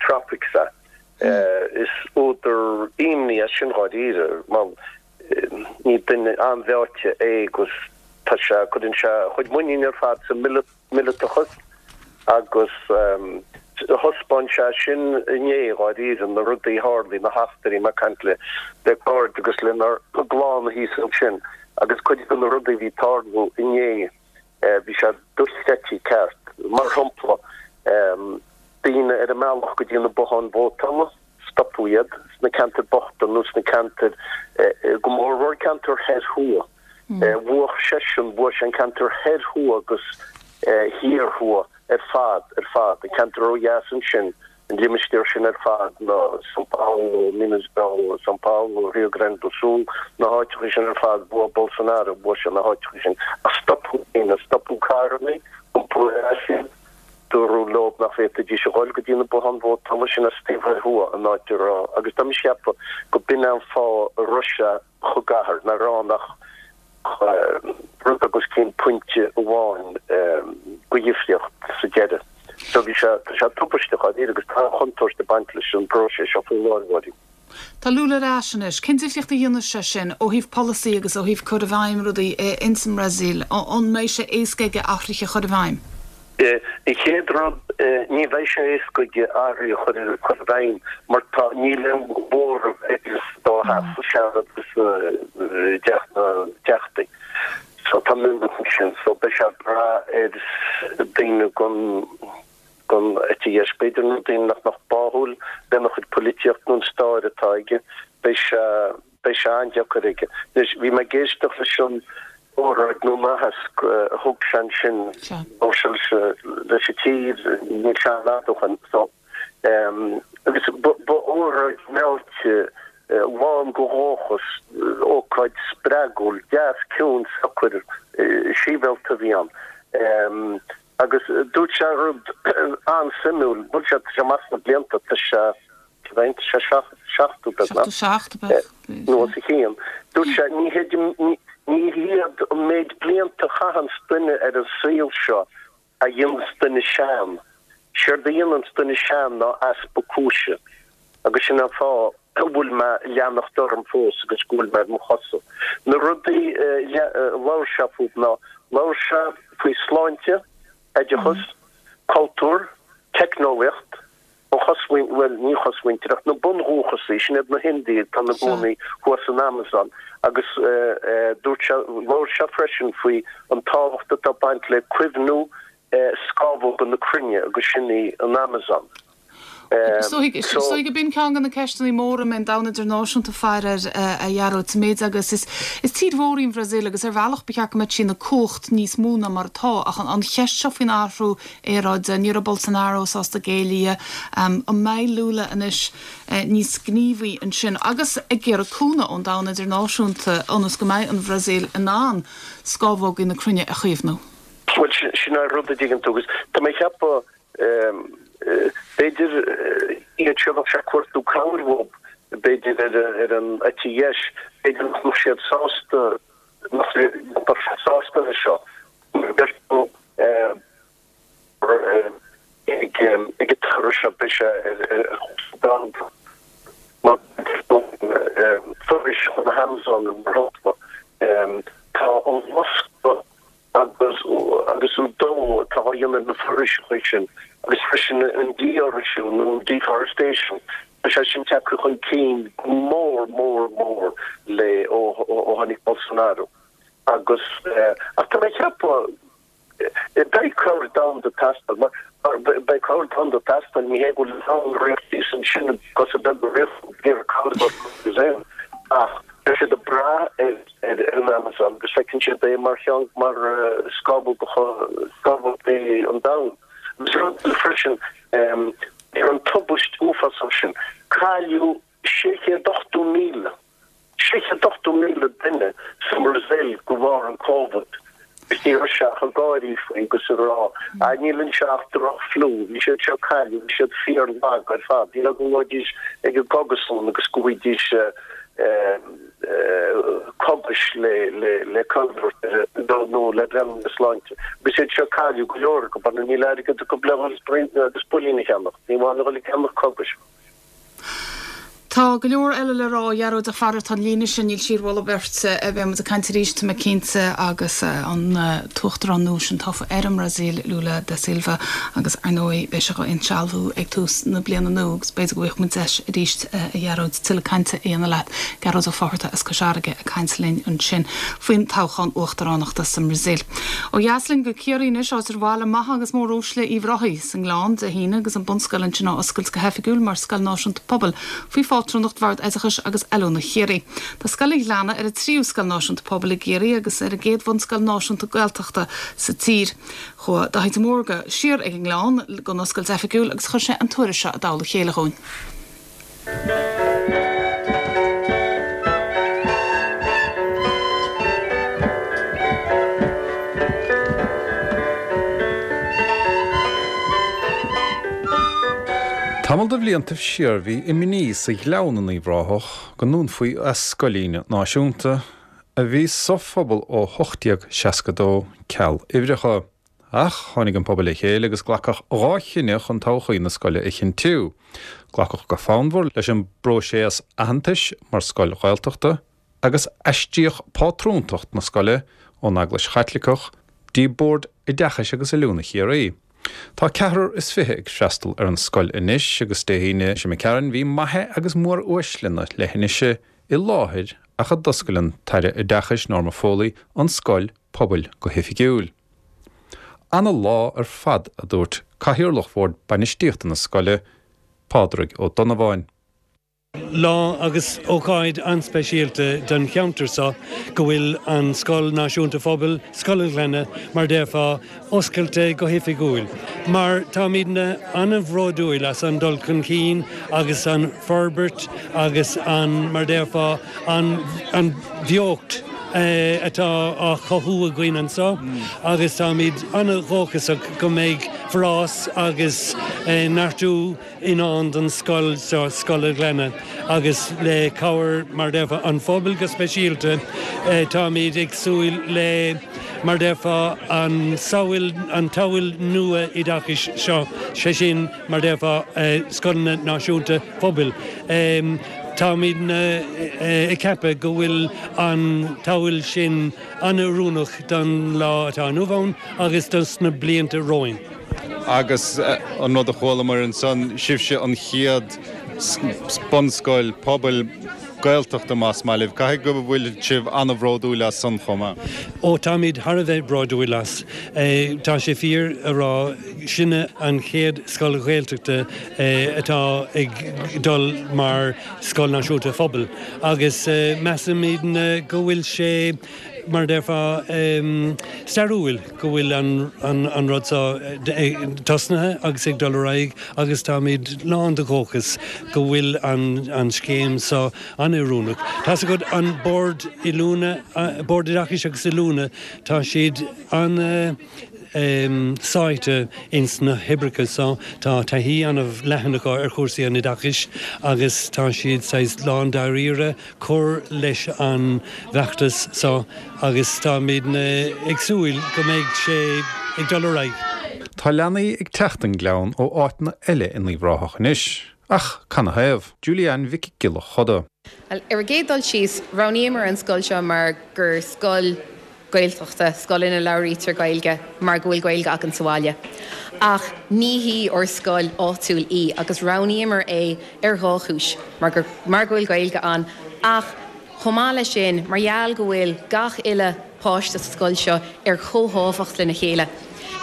tropics é. Is údar imní é sin dháiríre mar ní duine an-mheáite é agus tá sé, cuireann sé a chuid muiníne ar fad sa míleatachas agus thaispeáin sé sin inné dháiríre, na rudaí a tharlaigh, na heachtraí, mé ag caint le cairde agus lenár gclann thíos ansin agus cuid de na rudaí a bhí ag tarlú inné. Bhí sé dochreidte ceart. Mar shampla, daoine ar a mbealach go dtí na botháin vótála, stopadh iad sna ceantair bochta nó sna ceantair, go mórmhór ceantair thoir thuaidh. Bhuaigh seisean, bhuaigh sé an ceantar thoir thuaidh agus thiar thuaidh ar fad, ar fad. An ceantar ó dheas ansin, an limistéar sin ar fad, na São Paulo, Minas, São Paulo, Rio Grande do Sul, na háiteacha sin ar fad, bhuaigh Bolsonaro, bhuaigh sé na háiteacha sin. Ach stopadh daoine, stopadh carranna, iompaíodh ar ais iad, dúradh leo nach bhféadfaidís a dhul go dtí na botháin vótála sin as taobh thoir thuaidh, an áit a raibh, agus tá mise ag ceapadh go b'in é an fáth a raibh sé chomh gar, nach raibh ann ach rud beag os cionn pointe amháin de dhifríocht sa deireadh. So bhí sé, tá sé tubaisteach dháiríre agus tá an-chontúirt ag baint leis an bpróiseas seo faoi láthair, a Mháirín.
Tá Lula ar ais anois. Cén difríocht a dhéanfas sé sin ó thaobh polasaí agus ó thaobh cur i bhfeidhm rudaí ins an mBrasaíl? An mbeidh sé éasca aige athruithe a chur i bhfeidhm?
An chéad rud, ní bheidh sé éasca aige athruithe a chur i bhfeidhm mar tá, níl aon mhóramh aige sa dá theach, sa Seanad agus i dTeach na dTeachtaí. So tá mionlach ansin. So beidh sé ag brath ar daoine den den eite dheis b'fhéidir nó daoine nach mbeadh báúil lena chuid poilitíocht nó an stair atá aige. Beidh sé beidh sé an-deacair aige. Anois bhí mé ag éisteacht leis an óráid nó an aitheasc a thug sé ansin labhair sé leis leis an tír níl sé an-fhada ó shin. So Agus ba óráid meáite, lán de dhóchas, ócáid spreagúil, deas, ciúin, socair, sibhialta a bhí ann. Agus dúirt sé rud an-suimiúil, bhuel sé, tá sé amach sna blianta, tá sé, cad é, tá sé 70 beagnach,
77 ab ea?
nó os a chionn. Dúirt sé, ní hiad, ní hiad an méid blianta a chaitheanns duine ar an saol seo a dhéananns duine sean. Séard a dhéananns duine sean ná easpa cúise, agus sin an fáth a bhfuil mé ag leanacht orm fós agus go bhfuil mé ar mo chosa. Na rudaí a labhair sé fúthu ná, labhair sé faoi sláinte, oideachas, cultúr, teicneolaíocht, An chosmhuintir, bhuel, ní an chosmhuintir ach na bundhúchasaigh, sin iad na hIndiaigh atá ina gcónaí thuas san Amazon agus dúirt sé, labhair sé freisin faoi an tábhacht atá ag baint le caomhnú scamhóga na cruinne agus sin í an Amazon.
Is dóigh gurb in ceann de na ceisteanna móra a mbeidh an domhan idirnáisiúnta ag faire air, a Ghearóid, sa méid agus is tír mhór í an Bhrasaíl agus ar bhealach ba cheart go mbeadh sí ina cumhacht níos mó ná mar atá ach an cheist seo faoin athrú aeráide. Ní raibh Bolsonaro sásta géilleadh di. An mbeidh Lula anois níos gníomhaí ansin agus ag iarraidh cúnamh ón domhan idirnáisiúnta ionas go mbeidh an Bhrasaíl in ann scamhógaí na cruinne a chaomhnú?
Bhuel, sin é an rud a dtuigeann tú agus tá mé ag ceapadh b'fhéidir iad seo a bheadh sé ag cuartú cabhair uathu, b'fhéidir ar an eite dheis, b'fhéidir nach mbeadh siad sásta, nach mbeadh siad sásta leis seo. Ag an toradh seo beidh sé ar chúrsa domhanda mar foraoiseacha na hAmazon mar shampla. Tá an loscadh agus agus an dó atá á dhéanamh ar na foraoiseacha sin agus freisin an dífhoraoisiú nó an deforestation, tá sé sin tagtha chun cinn go mór mór mór le ó tháinig Bolsonaro. Agus, ach tá mé ag ceapadh, beidh cabhair domhanda ag teastáil, mar beidh cabhair domhanda ag teastáil, ní hé go bhfuil an ríocht thíos ansin, cosa beaga ríocht ag iarraidh cabhair a thabhairt don Bhrasaíl, ach beidh siad ag brath ar an Amazon agus feiceann siad é mar cheann, mar scamhóg, scamhóg an domhain. Agus rud eile freisin, ar an tubaist uafásach sin, cailleadh 680,000. 680,000 duine sa mBrasaíl de bharr an Covid agus ní raibh sé ach ag gáirí faoi agus ag rá ah níl anseo ach droch-fhliú, bhí siad seo cailleadh, bhí siad fíor-lag ar fad, ní raibh go ngabhaidís ag an gcógaslann agus go bhfaighidís cógais le le Covid nó le breathnú ar a sláinte. Agus iad seo cailleadh go leor acu, níl airgead acu le dhul agus builín a cheannach, ní amháin a dhul ag ceannach cógais.
Tá go leor eile le rá, a Ghearóid, ach faraor tá an líne sin, níl sí ar mholadh beirte. Beidh muid ag caint arís, tá mé cinnte, agus an tUachtarán nua sin tofa ar an mBrasaíl, Lula da Silva, agus ar ndóigh beidh sé á insealbhú ag tús na bliana nua agus b'fhéidir go bhfaighidh muid deis arís, a Ghearóid, tuilleadh cainte a dhéanamh leat. Gearóid Ó Fátharta as Cois Fharraige ag caint linn ansin faoin toghchán uachtaránachta sa mBrasaíl. Ó dheas linn go Ciarraí anois, áit ar bhailigh maithe agus móruaisle Uíbh Ráthaigh, sa nGleann Dé hAoine agus an bunscoil ansin á oscailt go hoifigiúil mar Scoil Náisiúnta Pobail faoi phátrúnacht Bhord Oideachais agus Oiliúna Chiarraí. Tá Scoil an Ghleanna ar an tríú scoil náisiúnta pobail i gCiarraí agus ar an gcéad bhunscoil náisiúnta Gaeltachta sa tír. Chuaigh Daithí de Mórdha siar ag an nGleann don oscailt oifigiúil agus chuir sé an tuairisc seo i dtoll a chéile dhúinn.
Tamall de bhliantaibh siar bhí imní sa Ghleann in Uíbh Ráthach go ndúnfaí a scoilín náisiúnta, a bhí sa phobal ó 1862, ceal uimhreacha. Ach tháinig an pobal le chéile agus glacadh 2 chinneadh chun todhchaí na scoile a chinntiú. Glacadh go fonnmhar leis an bpróiseas aitheantais mar scoil Ghaeltachta agus aistríodh pátrúntacht na scoile ón Eaglais Chaitliceach dtí Bord Oideachais agus Oiliúna Chiarraí. Tá ceathrar is fiche ag freastal ar an scoil anois agus Dé hAoine seo imigh tharainn bhí maithe agus móruaisle na leithinise i láthair ach a d'oscail an tAire Oideachais Norma Foley an scoil. Pobail go hoifigiúil. Ana lá ar fad a dúirt Cathaoirleach Bhord Bainistíochta na scoile, Pádraig Ó Donnabháin.
Lá agus ócáid an-speisialta don cheantar seo go bhfuil an Scoil Náisiúnta Phobail, Scoil an Ghleanna, mar déarfá, oscailte go hoifigiúil. Mar táimidne an-bhródúil as an dul chun cinn agus an forbairt agus an, mar déarfá, an an bheocht atá á chothú againn anseo agus táimid an-dhóchasach go mbeidh forás agus neartú i ndán don scoil seo, Scoil an Ghleanna, agus le cabhair, mar déarfá, an phobail go speisialta, táimid ag súil le, mar déarfá, an samhail, an tsamhail nua oideachais seo, sé sin, mar déarfá, scoileanna náisiúnta phobail. Táimidne ag ceapadh go bhfuil an tsamhail sin an-oiriúnach don lá atá inniu ann agus dos na blianta romhainn.
Agus an rud a chualamar ansan, sibhse an chéad bunscoil pobail Gaeltachta más maith libh. Caithfidh go bhfuil sibh an-bhródúil as san chomh maith?
Ó, táimid thar a bheith bródúil as. Tá sé fíor a rá, sinne an chéad scoil Ghaeltachta atá ag dul mar Scoil Náisiúnta Phobail agus measaimidne go bhfuil sé, mar a déarfá, stairiúil go bhfuil an rud seo tosnaithe agus ag dul ar aghaidh agus táimid lán de dhóchas go bhfuil an scéim seo an-oiriúnach. Tá's agat, an Bord Oiliúna, Bord Oideachais agus Oiliúna, tá siad an-. sáite ins na hoibreacha seo. Tá taithí an-leathan acu ar chúrsaí an oideachais agus tá siad saghas lándáiríre cur leis an bhfeachtas seo agus táimidne ag súil go mbeidh sé ag dul ar aghaidh.
Tá leanaí ag teacht don Ghleann ó áiteanna eile in Uíbh Ráthach anois, ach canathaobh? Julie-Ann Mhic Giolla Choda.
Bhuel, ar an gcéad dul síos, roghnaíomar an scoil seo mar gur scoil Gaeltachta, scoil ina labhraítear Gaeilge mar go bhfuil Gaeilge againn sa bhaile. Ach ní hí ár scoil áitiúil í agus roghnaíomar é ar dhá chúis, mar gur mar go bhfuil Gaeilge ann ach chomh maith leis sin mar gheall go bhfuil gach uile páiste sa scoil seo ar chomhthábhacht lena chéile.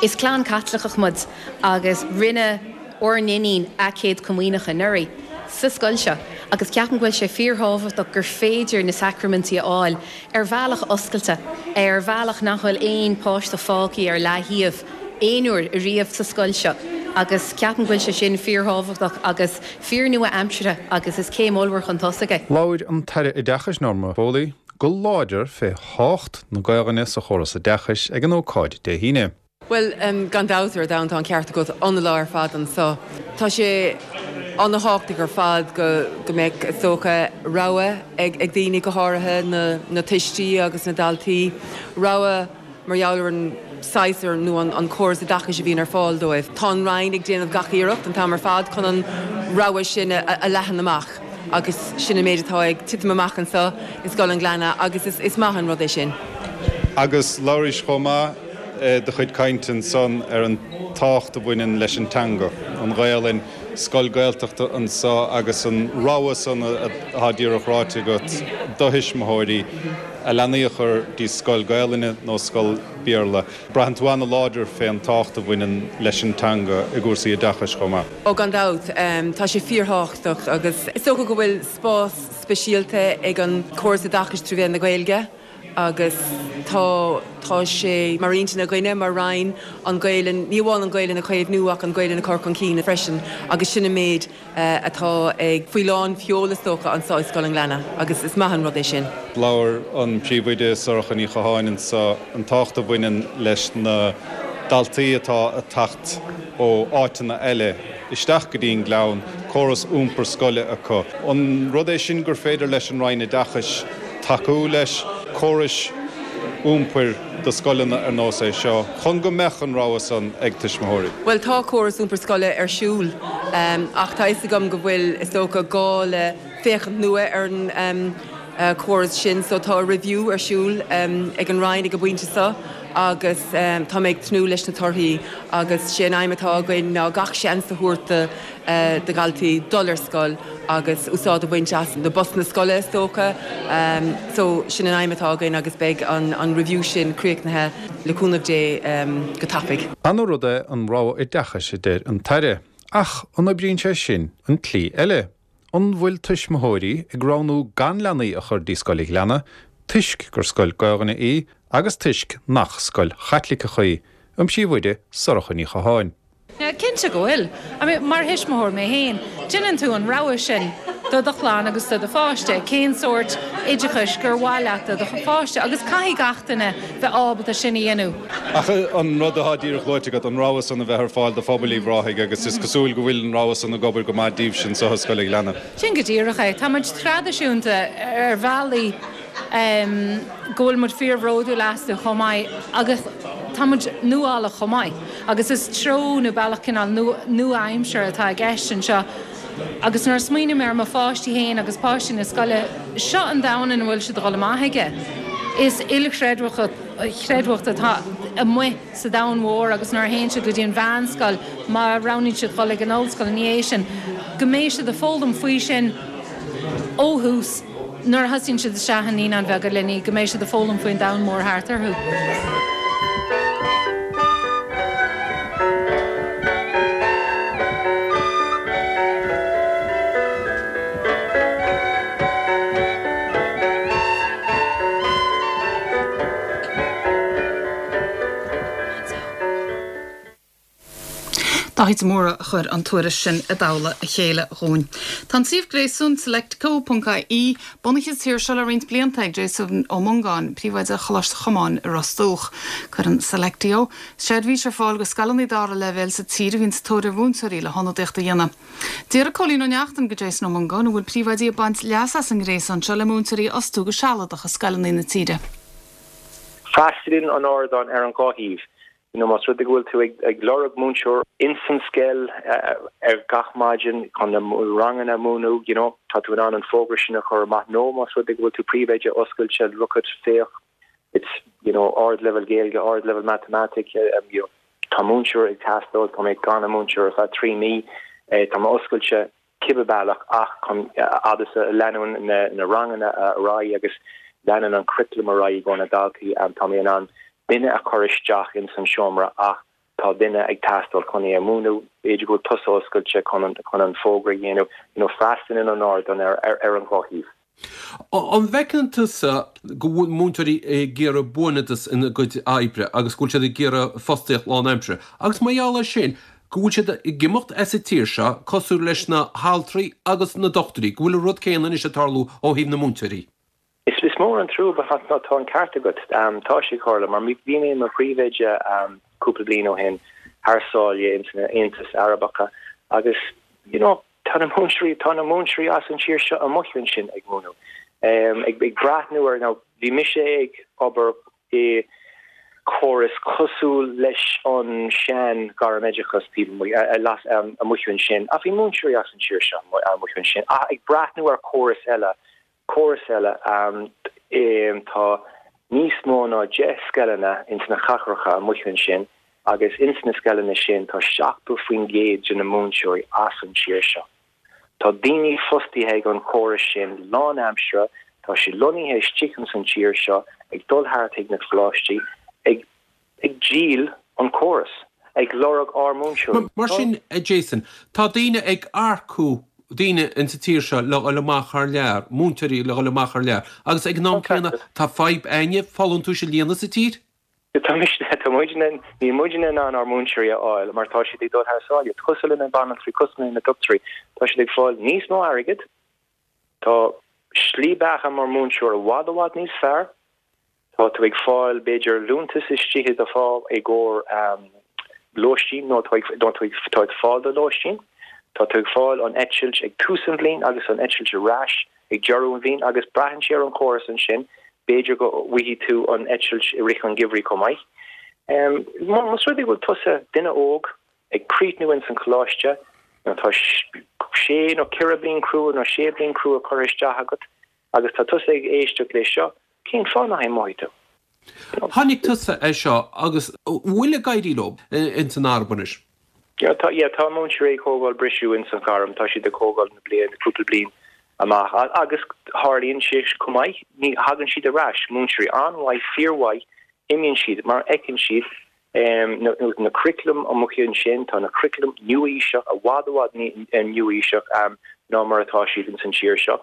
Is clann Caitliceach muid agus rinne ár n-iníon a céad comaoineach anuraidh sa scoil seo agus ceapaim go bhfuil sé fíorthábhachtach gur féidir na sacraimintí a fháil ar bhealach oscailte, ar bhealach nach bhfuil aon páiste fágtha ar leaththaobh aon uair ariamh sa scoil seo agus ceapaim go bhfuil sé sin fíorthábhachtach agus fíor-nua-aimseartha agus is céim ollmhór chun tosaigh é.
Labhair an tAire Oideachais Norma Foley go láidir fé thábhacht na Gaelainne sa chóras oideachais ag an ócáid Dé hAoine.
Bhuel, gan dabht ar domhan, tá an ceart agat, an-lá ar fad anso. Tá sé an-thábhachtach ar fad go mbeadh, is dócha, rogha ag daoine, go háirithe na tuistí agus na daltaí, rogha mar gheall ar an saghas nó an córas oideachais a bhíonn ar fáil dóibh. Tá an Roinn ag déanamh gach iarracht an t-am ar fad chun an rogha sin a leathan amach agus sin an méid atá ag titim amach anso i Scoil an Ghleanna agus is maith an rud é sin.
Agus labhraís chomh maith i do chuid cainte ansan ar an tábhacht a bhaineann leis an teanga, an Ghaelainn, scoil Gaeltachta anso agus an rogha san atá díreach ráite agat do thuismitheoirí a leanaí a chur dtí scoil Gaelainne nó scoil Béarla. Braitheann tú ana-láidir fén tábhacht a bhaineann leis an teanga i gcúrsaí oideachais chomh maith.
Ó gan dabht, tá sé fíorthábhachtach agus is dócha go bhfuil spás speisialta ag an córas oideachais trí mhéan na Gaeilge. agus tá tá sé mar intinn againne mar Roinn an Ghaelainn, ní amháin an Ghaelainn a chaomhnú ach an Ghaelainn a chur chun cinn freisin agus sin an méid atá ag faoi lán sheol is dócha anso i Scoil an Ghleanna agus is maith an rud é sin.
Labhair an Príomhoide Sorcha Ní Chatháin anso an tábhacht a bhaineann leis na daltaí atá ag teacht ó áiteanna eile isteach go dtí an Gleann, córas iompar scoile acu. An rud é sin gur féidir leis an Roinn Oideachais tacú leis, córais iompair do scoileanna ar nós é seo, chun go mbeadh an rogha san ag tuismitheoirí?
Bhuel, tá córas iompar scoile ar siúl ach tá fhios agam go bhfuil, is dócha, gá le féachaint nua ar an córas sin so tá review ar siúl ag an Roinn ag an bpointe seo. agus tá mé ag tnúth leis na torthaí agus sé an aidhm atá againn ná gach seans a thabhairt do do dhaltaí dul ar scoil agus úsáid a bhaint as na busanna scoile is dócha. So sin an aidhm atá againn agus beidh an review sin críochnaithe le cúnamh Dé go tapaidh.
Ana-rud é an rogha oideachais, a deir an tAire. Ach an oibríonn sé sin an tslí eile? An bhfuil tuismitheoirí ag roghnú gan leanaí a chur dtí Scoil an Ghleanna toisc gur scoil Gaelainne í agus toisc nach scoil Chaitliceach í? An b'sí Mhuire, Sorcha Ní Chatháin.
Cinnte go bhfuil. I mean, mar thuismitheoir mé féin, déanann tú an rogha sin do do chlann agus do do pháiste, cén sórt oideachais gur mhaith leat do do pháiste agus caithfidh gach duine bheith ábalta sin a dhéanamh.
Ach an rud atá díreach luaite agat, an rogha san a bheith ar fáil do phobal Uíbh Ráthaigh agus is cosúil go bhfuil an rogha san ag obair go maith daoibhse anso i Scoil an Ghleanna.
Sin go díreach é. Tá muid traidisiúnta ar bhealaí go bhfuil muid fíorbhródúil astu chomh maith agus tá muid nuálach chomh maith agus is treo nó bealach cineál nua-aimseartha atá i gceist anseo agus nuair a smaoiním ar mo pháistí féin agus páistí na scoile, seo an domhan ina bhfuil siad ag dul amach aige. Is ilchreidmheacht atá amuigh sa domhan mhór agus nuair a théann siad go dtí an mheánscoil, má roghnaíonn siad dul ag an ollscoil ina dhiaidh sin, go mbeidh siad ag foghlaim faoi sin ó thús. Nuair a thosaíonn siad isteach i Naíonáin Bheaga Luinnigh, go mbeidh siad ag foghlaim faoin domhan mór thart orthu. Dáithí de Mórdha a chuir an tuairisc sin i dtoll a chéile dhúinn. Tá an suíomh gréasáin selectco ponc ie bunaithe sa tír seo le roinnt blianta ag Jason Ó Mongáin, príomhoide Choláiste Chomáin i Ros Dumhach. Cuireann Selectio seirbhís ar fáil go scoileanna dara leibhéal sa tír a bhíonn sa tóir ar mhúinteoirí le hionadaíocht a dhéanamh. D'fhiafraigh Cóilín Ó Neachtain go Jason Ó Mongáin an bhfuil príomhoidí ag baint leas as an ngréasán seo le múinteoirí a fhostú go sealadach i scoileanna na tíre.
Freastalaíonn an ardán ar an dhá thaobh. You know, más rud é go bhfuil tú ag lorg múinteoir ins an scoil ar gach maidin chun na ranganna a mhúineadh, you know, tá tú in ann an fógra sin a chur amach nó más rud é go bhfuil tú príomhoide oscailte, look at, féach, it's, you know, ard-leibhéal Gaeilge, ard-leibhéal matamaitic, you know, tá múinteoir ag teastáil, tá mé gan an múinteoir ar feadh 3 mí, tá mé oscailte. cibé bealach ach chun fhad is a leanann na ranganna ar aghaidh agus leanann an curriculum ar aghaidh i gcomhair na daltaí, tá mé in ann duine a chur isteach ins an seomra ach tá duine ag teastáil chun é a mhúineadh. B'fhéidir go bhfuil tusa oscailte chun an fógra a dhéanamh, you know, freastalaíonn an ardán ar an dhá thaobh.
An bhfeiceann tusa go bhfuil múinteoirí ag iarraidh buanfhada ina gcuid oibre agus go bhfuil siad ag iarraidh fostaíocht lánaimseartha agus mar gheall air sin go bhfuil siad ag imeacht as an tír seo cosúil leis na haltraí agus na dochtúirí, go bhfuil an rud céanna anois ag tarlú ó thaobh na múinteoirí?
Is mór an trua but tá an ceart agat. Tá sé ag tarlú mar bhí mé i mo phríomhoide cúpla bliain ó shin thar sáile ins na Aontais Arabacha agus you know Tá na múinteoirí, tá na múinteoirí as an tír seo amuigh ansin ag múineadh, ag breathnú ar, now bhí mise ag obair i córas cosúil leis an sean gairmoideachas taobh amuigh, amuigh ansin ach bhí múinteoirí as an tír seo amuigh ansin ach ag breathnú ar córas eile córas eile. Tá níos mó ná 10 scoileanna ins na cathracha amuigh ansin agus ins na scoileanna sin tá 70% de na múinteoirí as an tír seo. Tá daoine fostaithe ag an chóras sin lánaimseartha, tá siad lonnaithe istigh ins an tír seo ag dul thart chuig na coláistí ag ag díol an córas, ag lorg ár múinteoirí.
Mar sin, a Jason, tá daoine ag earcú daoine insa tír seo le dhul amach thar lear, múinteoirí le dhul amach thar lear, agus ag an am céanna tá fadhb againne folúntais a líonadh sa tír?
Tá mise, tá muidne, níl muidne in ann ár múinteoirí a fháil mar tá siad ag dul thar sáile, cosúil le na banaltraí, cosúil le na dochtúirí, tá siad ag fáil níos mó airgid, tá slí beatha mar múinteoir i bhfad i bhfad níos fearr. Tá tú ag fáil, b'fhéidir, liúntas istigh i do phá i gcomhair lóistín nó tá tú ag fáil do lóistín. Tá tú ag fáil an eitilt ag tús an bhliain agus an eitilt ar ais ag deireadh an bhliain agus braitheann sé ar an chóras ansin, b'fhéidir go bhfaighidh tú an eitilt i rith an gheimhridh chomh maith. Más rud é go bhfuil tusa, duine óg, ag críochnú ins an choláiste, nó tá sé nó ceithre bliain crua nó sé bliain crua curtha isteach agat agus tá tusa ag éisteacht leis seo, Cén fáth nach imeoidh tú?
Tháinig tusa air seo agus an bhfuil ag éirí leo ins an Araib anois?
Yeah, tá, yeah, tá múinteoirí ag thógáil briseadh ins an ghairm, tá siad ag thógáil na bliain, cúpla bliain amach agus tharlaíonn sé chomh maith, ní thagann siad ar ais, múinteoirí an-mhaith, fíormhaith, imíonn siad mar fheiceann siad na, na curriculum amuigh ansin, tá na curriculum nua-aoiseach, i bhfad, i bhfad nua-aoiseach ná mar atá siad ins an tír seo.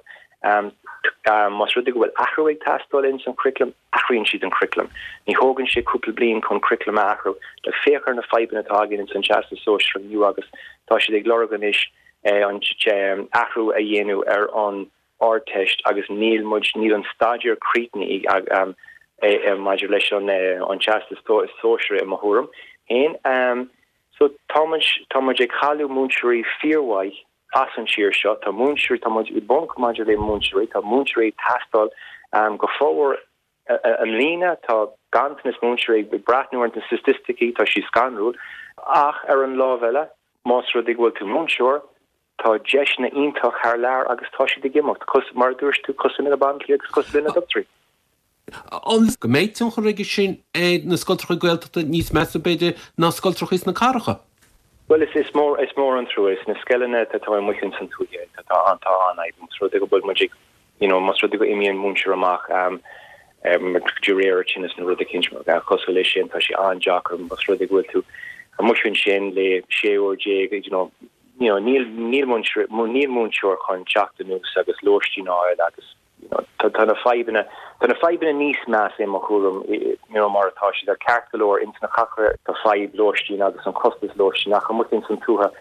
Más rud é go bhfuil athrú ag teastáil ins an curriculum, athraíonn siad an curriculum. Ní thógann sé cúpla bliain chun curriculum a athrú. Like, féach ar na fadhbanna atá againn ins an Teastas Sóisearach inniu agus tá siad ag lorg anois an athrú a dhéanamh ar an Ardteist agus níl muid, níl an staidéar críochnaithe maidir leis an Teastas Sóisearach i mo thuairim féin. So tá muid, tá muid ag cailleadh múinteoirí fíormhaith as an tír seo. Tá múinteoirí, tá muid i bponc maidir le múinteoirí, tá múinteoirí ag teastáil go formhór i mbliana, tá ganntanas múinteoirí, ag breathnú ar na staitisticí, tá siad scanrúil. Ach ar an lámh eile, más rud é go bhfuil tú múinteoir, tá deiseanna iontach thar lear agus tá siad ag imeacht, mar a dúirt tú, cosúil le na banaltraí agus cosúil le na dochtúirí.
An go mbeidh tionchar aige sin ar na scoltracha Gaeltachta níos measa, b'fhéidir, ná scoltracha sna cathracha?
Bhuel, is, is mór, is mór an trua. Is na scoileanna atá amuigh ins an tuaithe, tá, tá an, tá an-fhadhb. Más rud é go bhfuil muid ag, you know, más rud é go imíonn múinteoir amach, de réir tinneas nó rud eicínt cosúil leis sin, tá sé an-deacair. Más rud é go bhfuil tú amuigh ansin le 16 uair, you know, you know, níl, níl múinteoir, níl múinteoir chun teacht anuas agus lóistín a fháil agus, Tá na fadhbanna, tá na fadhbanna níos measa i mo thuairim, you know, mar atá siad ar ceart go leor ins na cathracha tá fadhb lóistín agus an costas lóistín ach amuigh ins an tuaithe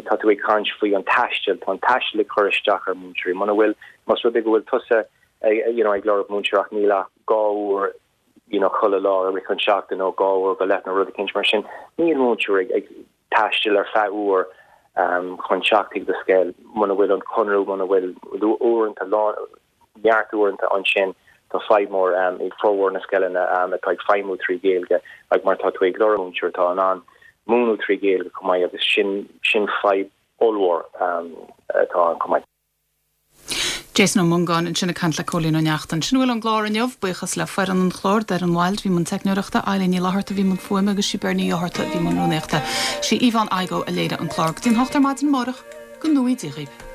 tá tú ag caint faoi an taisteal, tá an taisteal ag cur isteach ar múinteoirí. Muna bhfuil, más rud é go bhfuil tusa you know, ag lorg múinteoir ach níl ach 2 uair you know, chuile lá i rith an seachtain nó 2 uair go leith nó rud eicínt mar sin, níl múinteoir ag, ag taisteal ar feadh uair chun teacht chuig do scoil, muna bhfuil an conradh, muna bhfuil uaireanta, neart uaireanta ansin, tá fadhb mór ag formhór na scoileanna atá ag feidhmiú trí Ghaeilge ag mar tá tú ag lorg múinteoir atá in ann múineadh trí Ghaeilge chomh maith agus sin sin fadhb ollmhór atá ann chomh maith.
Jason Ó Mongáin ansin ag caint le Cóilín Ó Neachtain. Sin a bhfuil ón gclár inniu. Buíochas le foireann an chláir, Doireann Wilde a bhí i mbun teicneoireachta, Eileen Ní Fhlatharta a bhí i mbun fuaime agus sí Bernie Ní Fhátharta a bhí i mbun rúnaíochta. Sí Yvonne Igoe a léirigh an clár. Go dtí an hocht ar maidin amárach, go ngnóthaí Dia dhaoibh.